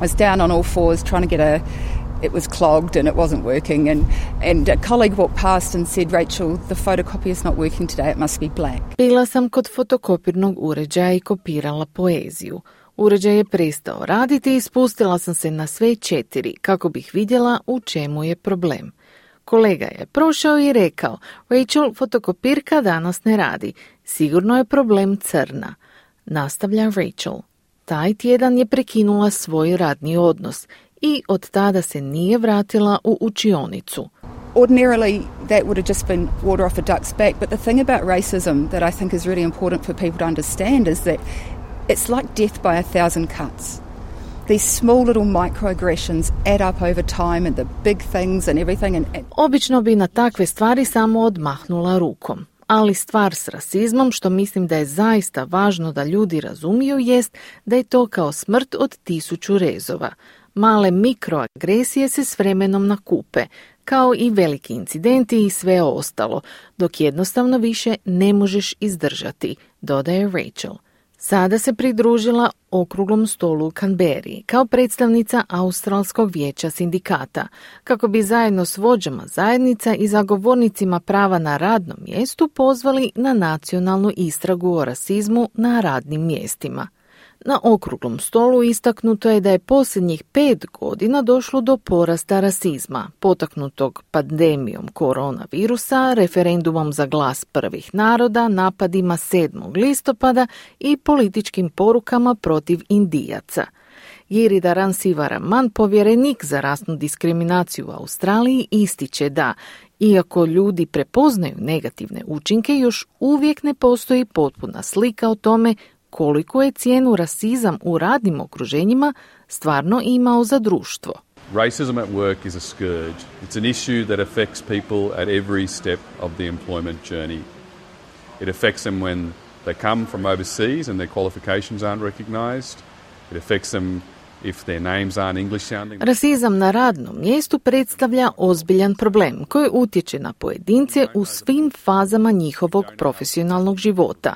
I was down on all fours trying to get a It was clogged and it wasn't working and, and a colleague walked past and said, Rachel, the photocopy is not working today, it must be black. Bila sam kod fotokopirnog uređaja i kopirala poeziju. Uređaj je prestao raditi i spustila sam se na sve četiri kako bih vidjela u čemu je problem. Kolega je prošao i rekao, Rachel, fotokopirka danas ne radi. Sigurno je problem crna. Nastavlja Rachel. Taj tjedan je prekinula svoj radni odnos i od tada se nije vratila u učionicu. Ordinarily, that would have just been water off a duck's back, but the thing about racism that I think is really important for people to understand is that it's like death by a thousand cuts. These small little microaggressions add up over time and the big things and everything. And, and... Obično bi na takve stvari samo odmahnula rukom. Ali stvar s rasizmom, što mislim da je zaista važno da ljudi razumiju, jest da je to kao smrt od tisuću rezova. Male mikroagresije se s vremenom nakupe, kao i veliki incidenti i sve ostalo, dok jednostavno više ne možeš izdržati, dodaje Rachel. Sada se pridružila okruglom stolu u Canberri kao predstavnica Australskog vijeća sindikata, kako bi zajedno s vođama zajednica i zagovornicima prava na radnom mjestu pozvali na nacionalnu istragu o rasizmu na radnim mjestima. Na okruglom stolu istaknuto je da je posljednjih pet godina došlo do porasta rasizma, potaknutog pandemijom koronavirusa, referendumom za glas prvih naroda, napadima sedmog listopada i političkim porukama protiv Indijaca. Giridharan Sivaraman, povjerenik za rasnu diskriminaciju u Australiji, ističe da, iako ljudi prepoznaju negativne učinke, još uvijek ne postoji potpuna slika o tome koliko je cijenu rasizam u radnim okruženjima stvarno imao za društvo. Racism at work is a scourge. It's an issue that affects people at every step of the employment journey. It affects them when They come from overseas and their qualifications aren't recognised. It affects them if their names aren't English sounding. Rasizam na radnom mjestu predstavlja ozbiljan problem koji utječe na pojedince u svim fazama njihovog profesionalnog života.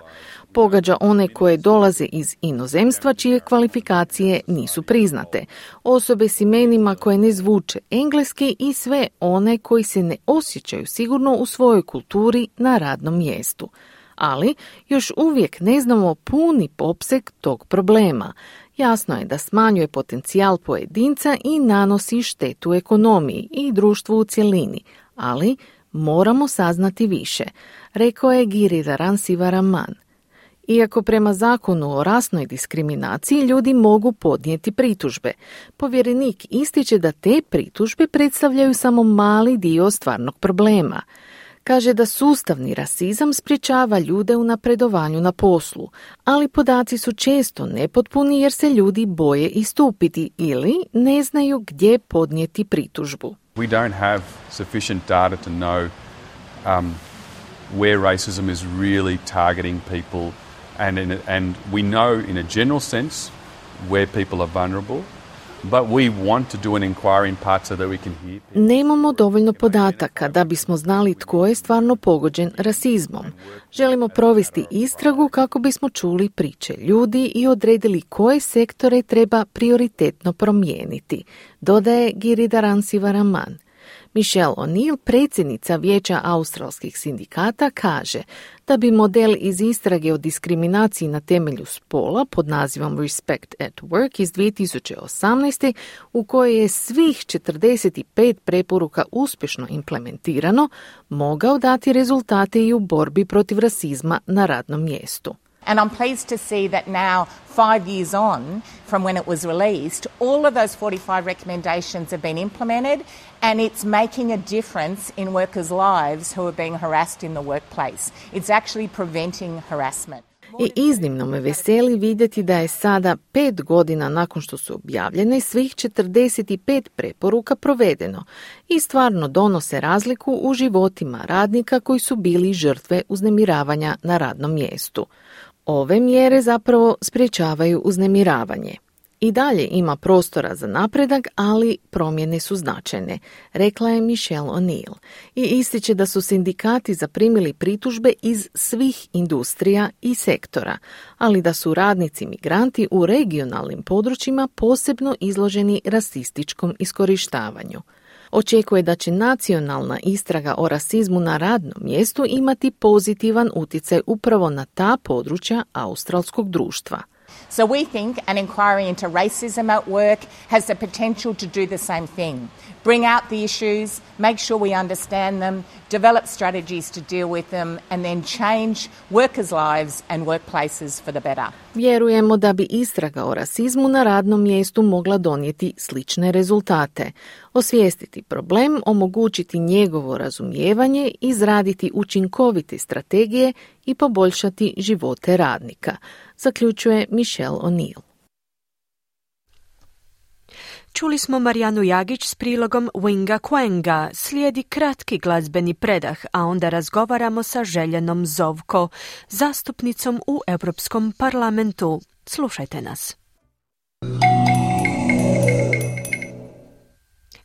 Pogađa one koje dolaze iz inozemstva čije kvalifikacije nisu priznate, osobe s imenima koje ne zvuče engleski i sve one koji se ne osjećaju sigurno u svojoj kulturi na radnom mjestu. Ali još uvijek ne znamo puni opseg tog problema. Jasno je da smanjuje potencijal pojedinca i nanosi štetu ekonomiji i društvu u cjelini, ali moramo saznati više, rekao je Giridharan Sivaraman. Iako prema zakonu o rasnoj diskriminaciji ljudi mogu podnijeti pritužbe, povjerenik ističe da te pritužbe predstavljaju samo mali dio stvarnog problema. Kaže da sustavni rasizam sprječava ljude u napredovanju na poslu, ali podaci su često nepotpuni jer se ljudi boje istupiti ili ne znaju gdje podnijeti pritužbu. We don't have sufficient data to know um, where racism is really targeting people. And, in a, and we know in a general sense where people are vulnerable, but we want to do an inquiry in part so that we can hear people. Nemamo dovoljno podataka da bismo znali tko je stvarno pogođen rasizmom. Želimo provesti istragu kako bismo čuli priče ljudi i odredili koje sektore treba prioritetno promijeniti, dodaje Giridharan Sivaraman. Michelle O'Neill, predsjednica Vijeća australskih sindikata, kaže da bi model iz istrage o diskriminaciji na temelju spola pod nazivom Respect at Work iz dvije tisuće osamnaeste, u kojoj je svih četrdeset pet preporuka uspješno implementirano, mogao dati rezultate i u borbi protiv rasizma na radnom mjestu. And I'm pleased to see that now, five years on from when it was released, all of those forty-five recommendations have been implemented, and it's making a difference in workers' lives who are being harassed in the workplace. It's actually preventing harassment. I iznimno me veseli vidjeti da je sada pet godina nakon što su objavljene svih četrdeset pet preporuka provedeno i stvarno donose razliku u životima radnika koji su bili žrtve uznemiravanja na radnom mjestu. Ove mjere zapravo sprječavaju uznemiravanje. I dalje ima prostora za napredak, ali promjene su značajne, rekla je Michelle O'Neill. I ističe da su sindikati zaprimili pritužbe iz svih industrija i sektora, ali da su radnici migranti u regionalnim područjima posebno izloženi rasističkom iskorištavanju. Očekuje da će nacionalna istraga o rasizmu na radnom mjestu imati pozitivan utjecaj upravo na ta područja australskog društva. So we think an inquiry into racism at work has the potential to do the same thing. Bring out the issues, make sure we understand them, develop strategies to deal with them, and then change workers' lives and workplaces for the better. Vjerujemo da bi istraga o rasizmu na radnom mjestu mogla donijeti slične rezultate. Osvijestiti problem, omogućiti njegovo razumijevanje, izraditi učinkovite strategije i poboljšati živote radnika, zaključuje Michelle O'Neill. Čuli smo Marijanu Jagić s prilogom Winga Quenga, slijedi kratki glazbeni predah, a onda razgovaramo sa Željenom Zovko, zastupnicom u Europskom parlamentu. Slušajte nas.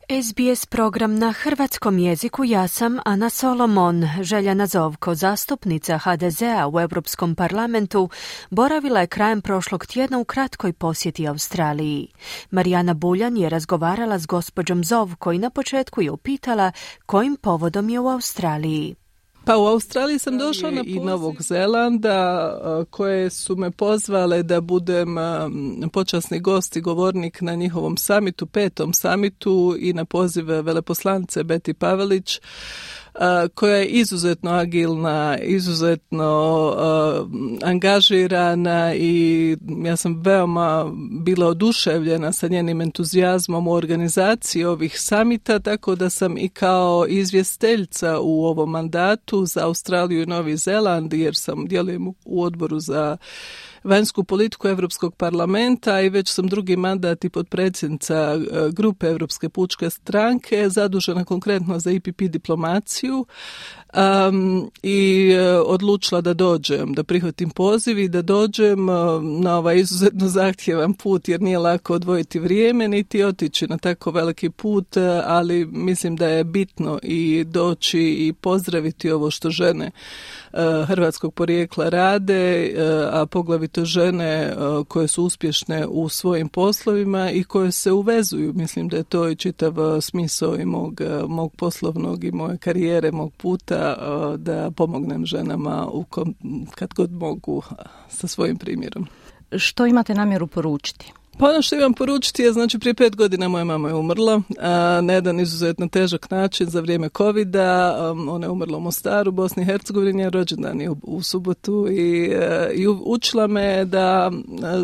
S B S program na hrvatskom jeziku, ja sam Ana Solomon. Željana Zovko, zastupnica H D Z-a u Europskom parlamentu, boravila je krajem prošlog tjedna u kratkoj posjeti Australiji. Marijana Buljan je razgovarala s gospođom Zovko i na početku je upitala kojim povodom je u Australiji. Pa u Australiji sam došla na i Novog Zelanda koje su me pozvale da budem počasni gost i govornik na njihovom samitu, petom samitu i na poziv veleposlanice Betty Pavelić, koja je izuzetno agilna, izuzetno uh, angažirana i ja sam veoma bila oduševljena sa njenim entuzijazmom u organizaciji ovih samita, tako da sam i kao izvjestiteljica u ovom mandatu za Australiju i Novi Zeland, jer sam djelujem u odboru za vanjsku politiku Europskog parlamenta i već sam drugi mandat i potpredsjednica grupe Europske pučke stranke, zadužena konkretno za I P P diplomaciju. Um, i uh, odlučila da dođem, da prihvatim poziv i da dođem uh, na ovaj izuzetno zahtjevan put, jer nije lako odvojiti vrijeme niti otići na tako veliki put, uh, ali mislim da je bitno i doći i pozdraviti ovo što žene uh, hrvatskog porijekla rade, uh, a poglavito žene uh, koje su uspješne u svojim poslovima i koje se uvezuju. Mislim da je to i čitav uh, smisao i mog, uh, mog poslovnog i moje karijere, mog puta, da pomognem ženama u kom, kad god mogu sa svojim primjerom. Što imate namjeru poručiti? Pa ono što imam poručiti je, znači prije pet godina moja mama je umrla a, na jedan izuzetno težak način za vrijeme covida. Um, ona je umrla u Mostaru, Bosni i Hercegovini, je rođendan je u, u subotu i, a, i učila me da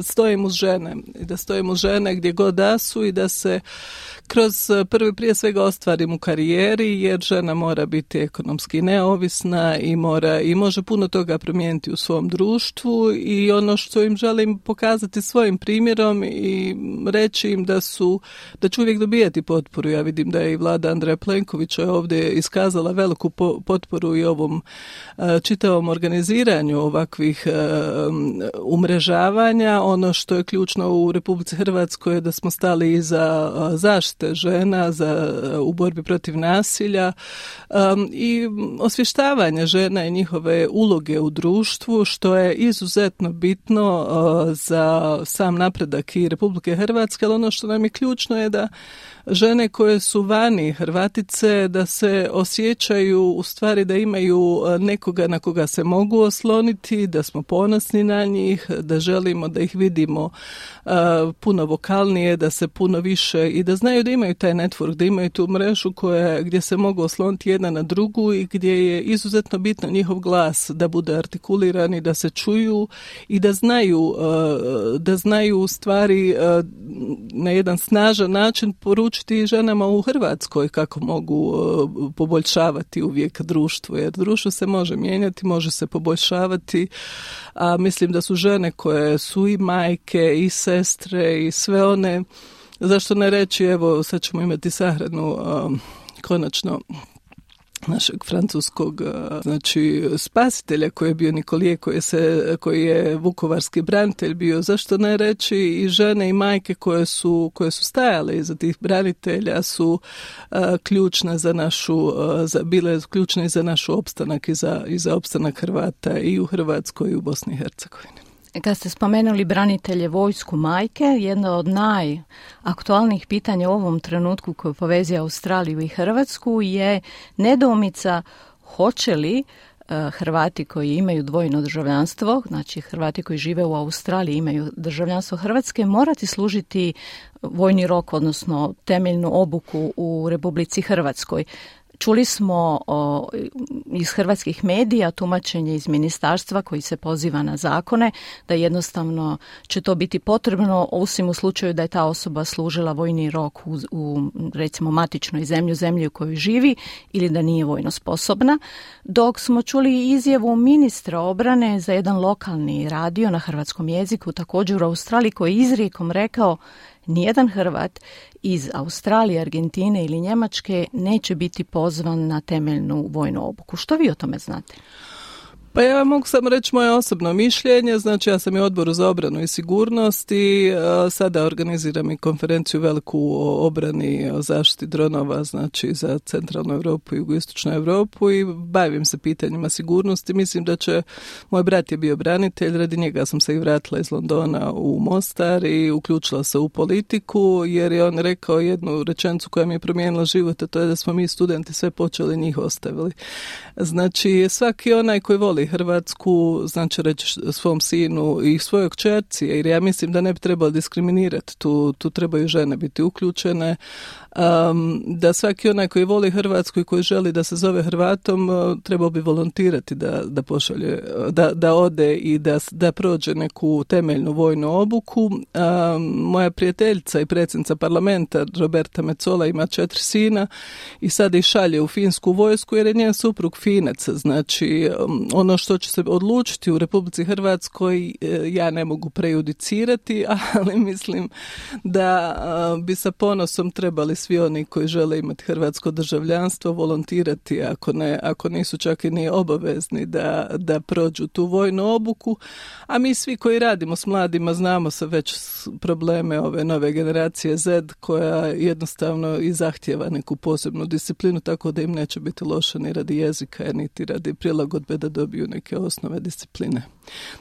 stojim uz žene i da stojim uz žene gdje god da su i da se kroz prvi prije svega ostvarim u karijeri, jer žena mora biti ekonomski neovisna i mora i može puno toga promijeniti u svom društvu, i ono što im želim pokazati svojim primjerom i reći im da su, da će uvijek dobijati potporu. Ja vidim da je i vlada Andreja Plenkovića ovdje iskazala veliku po, potporu i ovom uh, čitavom organiziranju ovakvih uh, umrežavanja. Ono što je ključno u Republici Hrvatskoj je da smo stali iza uh, zaštite žena za, u borbi protiv nasilja um, i osvještavanje žena i njihove uloge u društvu, što je izuzetno bitno uh, za sam napredak i Republike Hrvatske, ali ono što nam je ključno je da žene koje su vani, Hrvatice, da se osjećaju u stvari da imaju nekoga na koga se mogu osloniti, da smo ponosni na njih, da želimo da ih vidimo uh, puno vokalnije, da se puno više i da znaju da imaju taj network, da imaju tu mrežu koja, gdje se mogu osloniti jedna na drugu i gdje je izuzetno bitno njihov glas da bude artikuliran i da se čuju i da znaju, uh, da znaju u stvari uh, na jedan snažan način poručiti ženama u Hrvatskoj kako mogu uh, poboljšavati uvijek društvo, jer društvo se može mijenjati, može se poboljšavati, a mislim da su žene koje su i majke i sestre i sve one, zašto ne reći, evo sad ćemo imati sahranu uh, konačno našeg francuskog, znači spasitelja koji je bio Nikolije, koji, se, koji je vukovarski branitelj bio, zašto ne reći i žene i majke koje su, koje su stajale iza tih branitelja su uh, ključne za našu, uh, za, bile ključne za naš opstanak i za, i za opstanak Hrvata i u Hrvatskoj i u Bosni i Hercegovini. Kad ste spomenuli branitelje, vojsku, majke, jedno od najaktualnijih pitanja u ovom trenutku koje povezuje Australiju i Hrvatsku je nedoumica hoće li Hrvati koji imaju dvojno državljanstvo, znači Hrvati koji žive u Australiji imaju državljanstvo Hrvatske, morati služiti vojni rok, odnosno temeljnu obuku u Republici Hrvatskoj. Čuli smo o, iz hrvatskih medija tumačenje iz ministarstva koji se poziva na zakone da jednostavno će to biti potrebno osim u slučaju da je ta osoba služila vojni rok u, u recimo matičnoj zemlji, zemlji u kojoj živi ili da nije vojno sposobna. Dok smo čuli izjavu ministra obrane za jedan lokalni radio na hrvatskom jeziku također u Australiji koji je izrijekom rekao nijedan Hrvat iz Australije, Argentine ili Njemačke neće biti pozvan na temeljnu vojnu obuku. Što vi o tome znate? Pa ja mogu samo reći moje osobno mišljenje, znači ja sam i u Odboru za obranu i sigurnost i uh, sada organiziram i konferenciju veliku o obrani, o zaštiti dronova, znači za centralnu Europu i jugoistočnu Europu i bavim se pitanjima sigurnosti. Mislim da će, moj brat je bio branitelj, radi njega sam se i vratila iz Londona u Mostar i uključila se u politiku jer je on rekao jednu rečenicu koja mi je promijenila život, a to je da smo mi studenti sve počeli, njih ostavili. Znači svaki onaj koji voli Hrvatsku, znači reći svom sinu i svojoj kćerci, jer ja mislim da ne bi trebalo diskriminirati, tu, tu trebaju žene biti uključene, um, da svaki onaj koji voli Hrvatsku i koji želi da se zove Hrvatom, uh, trebao bi volontirati da, da pošalje, da, da ode i da, da prođe neku temeljnu vojnu obuku. Um, moja prijateljica i predsjednica parlamenta Roberta Metsola ima četiri sina i sada ih šalje u finsku vojsku jer je njen suprug Finac, znači um, on ono što će se odlučiti u Republici Hrvatskoj ja ne mogu prejudicirati, ali mislim da bi sa ponosom trebali svi oni koji žele imati hrvatsko državljanstvo volontirati, ako ne, ako nisu čak i ni obavezni da, da prođu tu vojnu obuku, a mi svi koji radimo s mladima znamo se već probleme ove nove generacije Z koja jednostavno i zahtjeva neku posebnu disciplinu, tako da im neće biti loše ni radi jezika, niti radi prilagodbe da dobiju neke osnove discipline.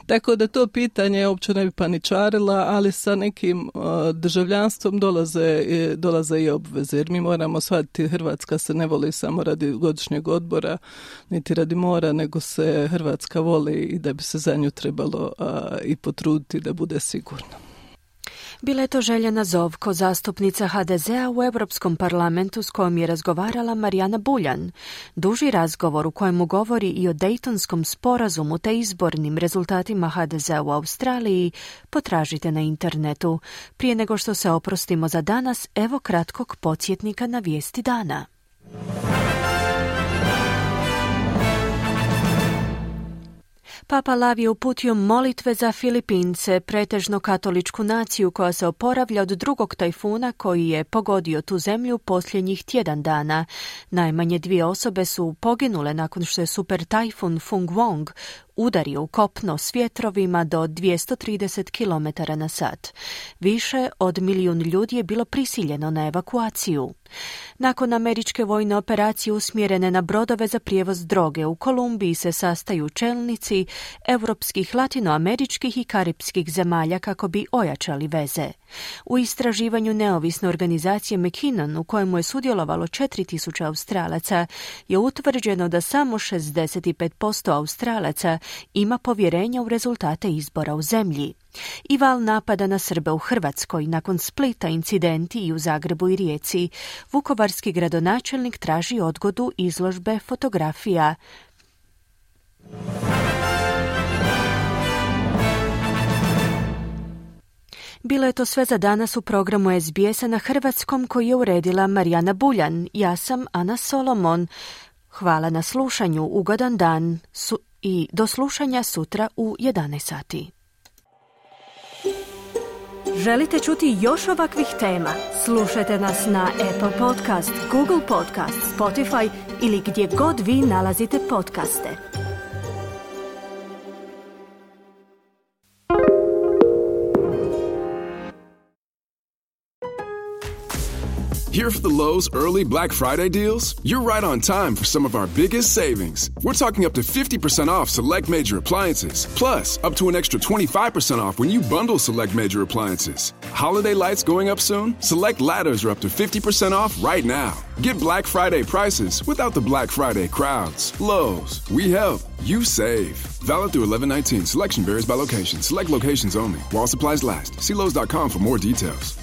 Tako da to pitanje uopće ne bi paničarila, ali sa nekim uh, državljanstvom dolaze, dolaze i obveze, jer mi moramo shvatiti Hrvatska se ne voli samo radi godišnjeg odbora, niti radi mora, nego se Hrvatska voli i da bi se za nju trebalo uh, i potruditi da bude sigurno. Bila je to Željana Zovko, zastupnica ha de zea u Europskom parlamentu s kojom je razgovarala Marijana Buljan. Duži razgovor u kojemu govori i o Dejtonskom sporazumu te izbornim rezultatima ha de zea u Australiji potražite na internetu. Prije nego što se oprostimo za danas, evo kratkog podsjetnika na vijesti dana. Papa Lav je uputio molitve za Filipince, pretežno katoličku naciju koja se oporavlja od drugog tajfuna koji je pogodio tu zemlju posljednjih tjedan dana. Najmanje dvije osobe su poginule nakon što je super tajfun Fung Wong udario u kopno s vjetrovima do dvjesto trideset kilometara na sat. Više od milijun ljudi je bilo prisiljeno na evakuaciju. Nakon američke vojne operacije usmjerene na brodove za prijevoz droge, u Kolumbiji se sastaju čelnici europskih, latinoameričkih i karipskih zemalja kako bi ojačali veze. U istraživanju neovisne organizacije McKinnon, u kojemu je sudjelovalo četiri tisuće Australaca, je utvrđeno da samo šezdeset pet posto Australaca ima povjerenja u rezultate izbora u zemlji. I val napada na Srbe u Hrvatskoj, nakon Splita, incidenti i u Zagrebu i Rijeci. Vukovarski gradonačelnik traži odgodu izložbe fotografija. Bilo je to sve za danas u programu es be es-a na hrvatskom koji je uredila Marijana Buljan. Ja sam Ana Solomon. Hvala na slušanju, ugodan dan su i do slušanja sutra u jedanaest sati. Želite čuti još ovakvih tema? Slušajte nas na Apple Podcast, Google Podcast, Spotify ili gdje god vi nalazite podcaste. Here for the Lowe's early Black Friday deals? You're right on time for some of our biggest savings. We're talking up to fifty percent off select major appliances, plus up to an extra twenty-five percent off when you bundle select major appliances. Holiday lights going up soon? Select ladders are up to fifty percent off right now. Get Black Friday prices without the Black Friday crowds. Lowe's, we help, you save. Valid through eleven nineteen. Selection varies by location. Select locations only. While supplies last. See Lowe's dot com for more details.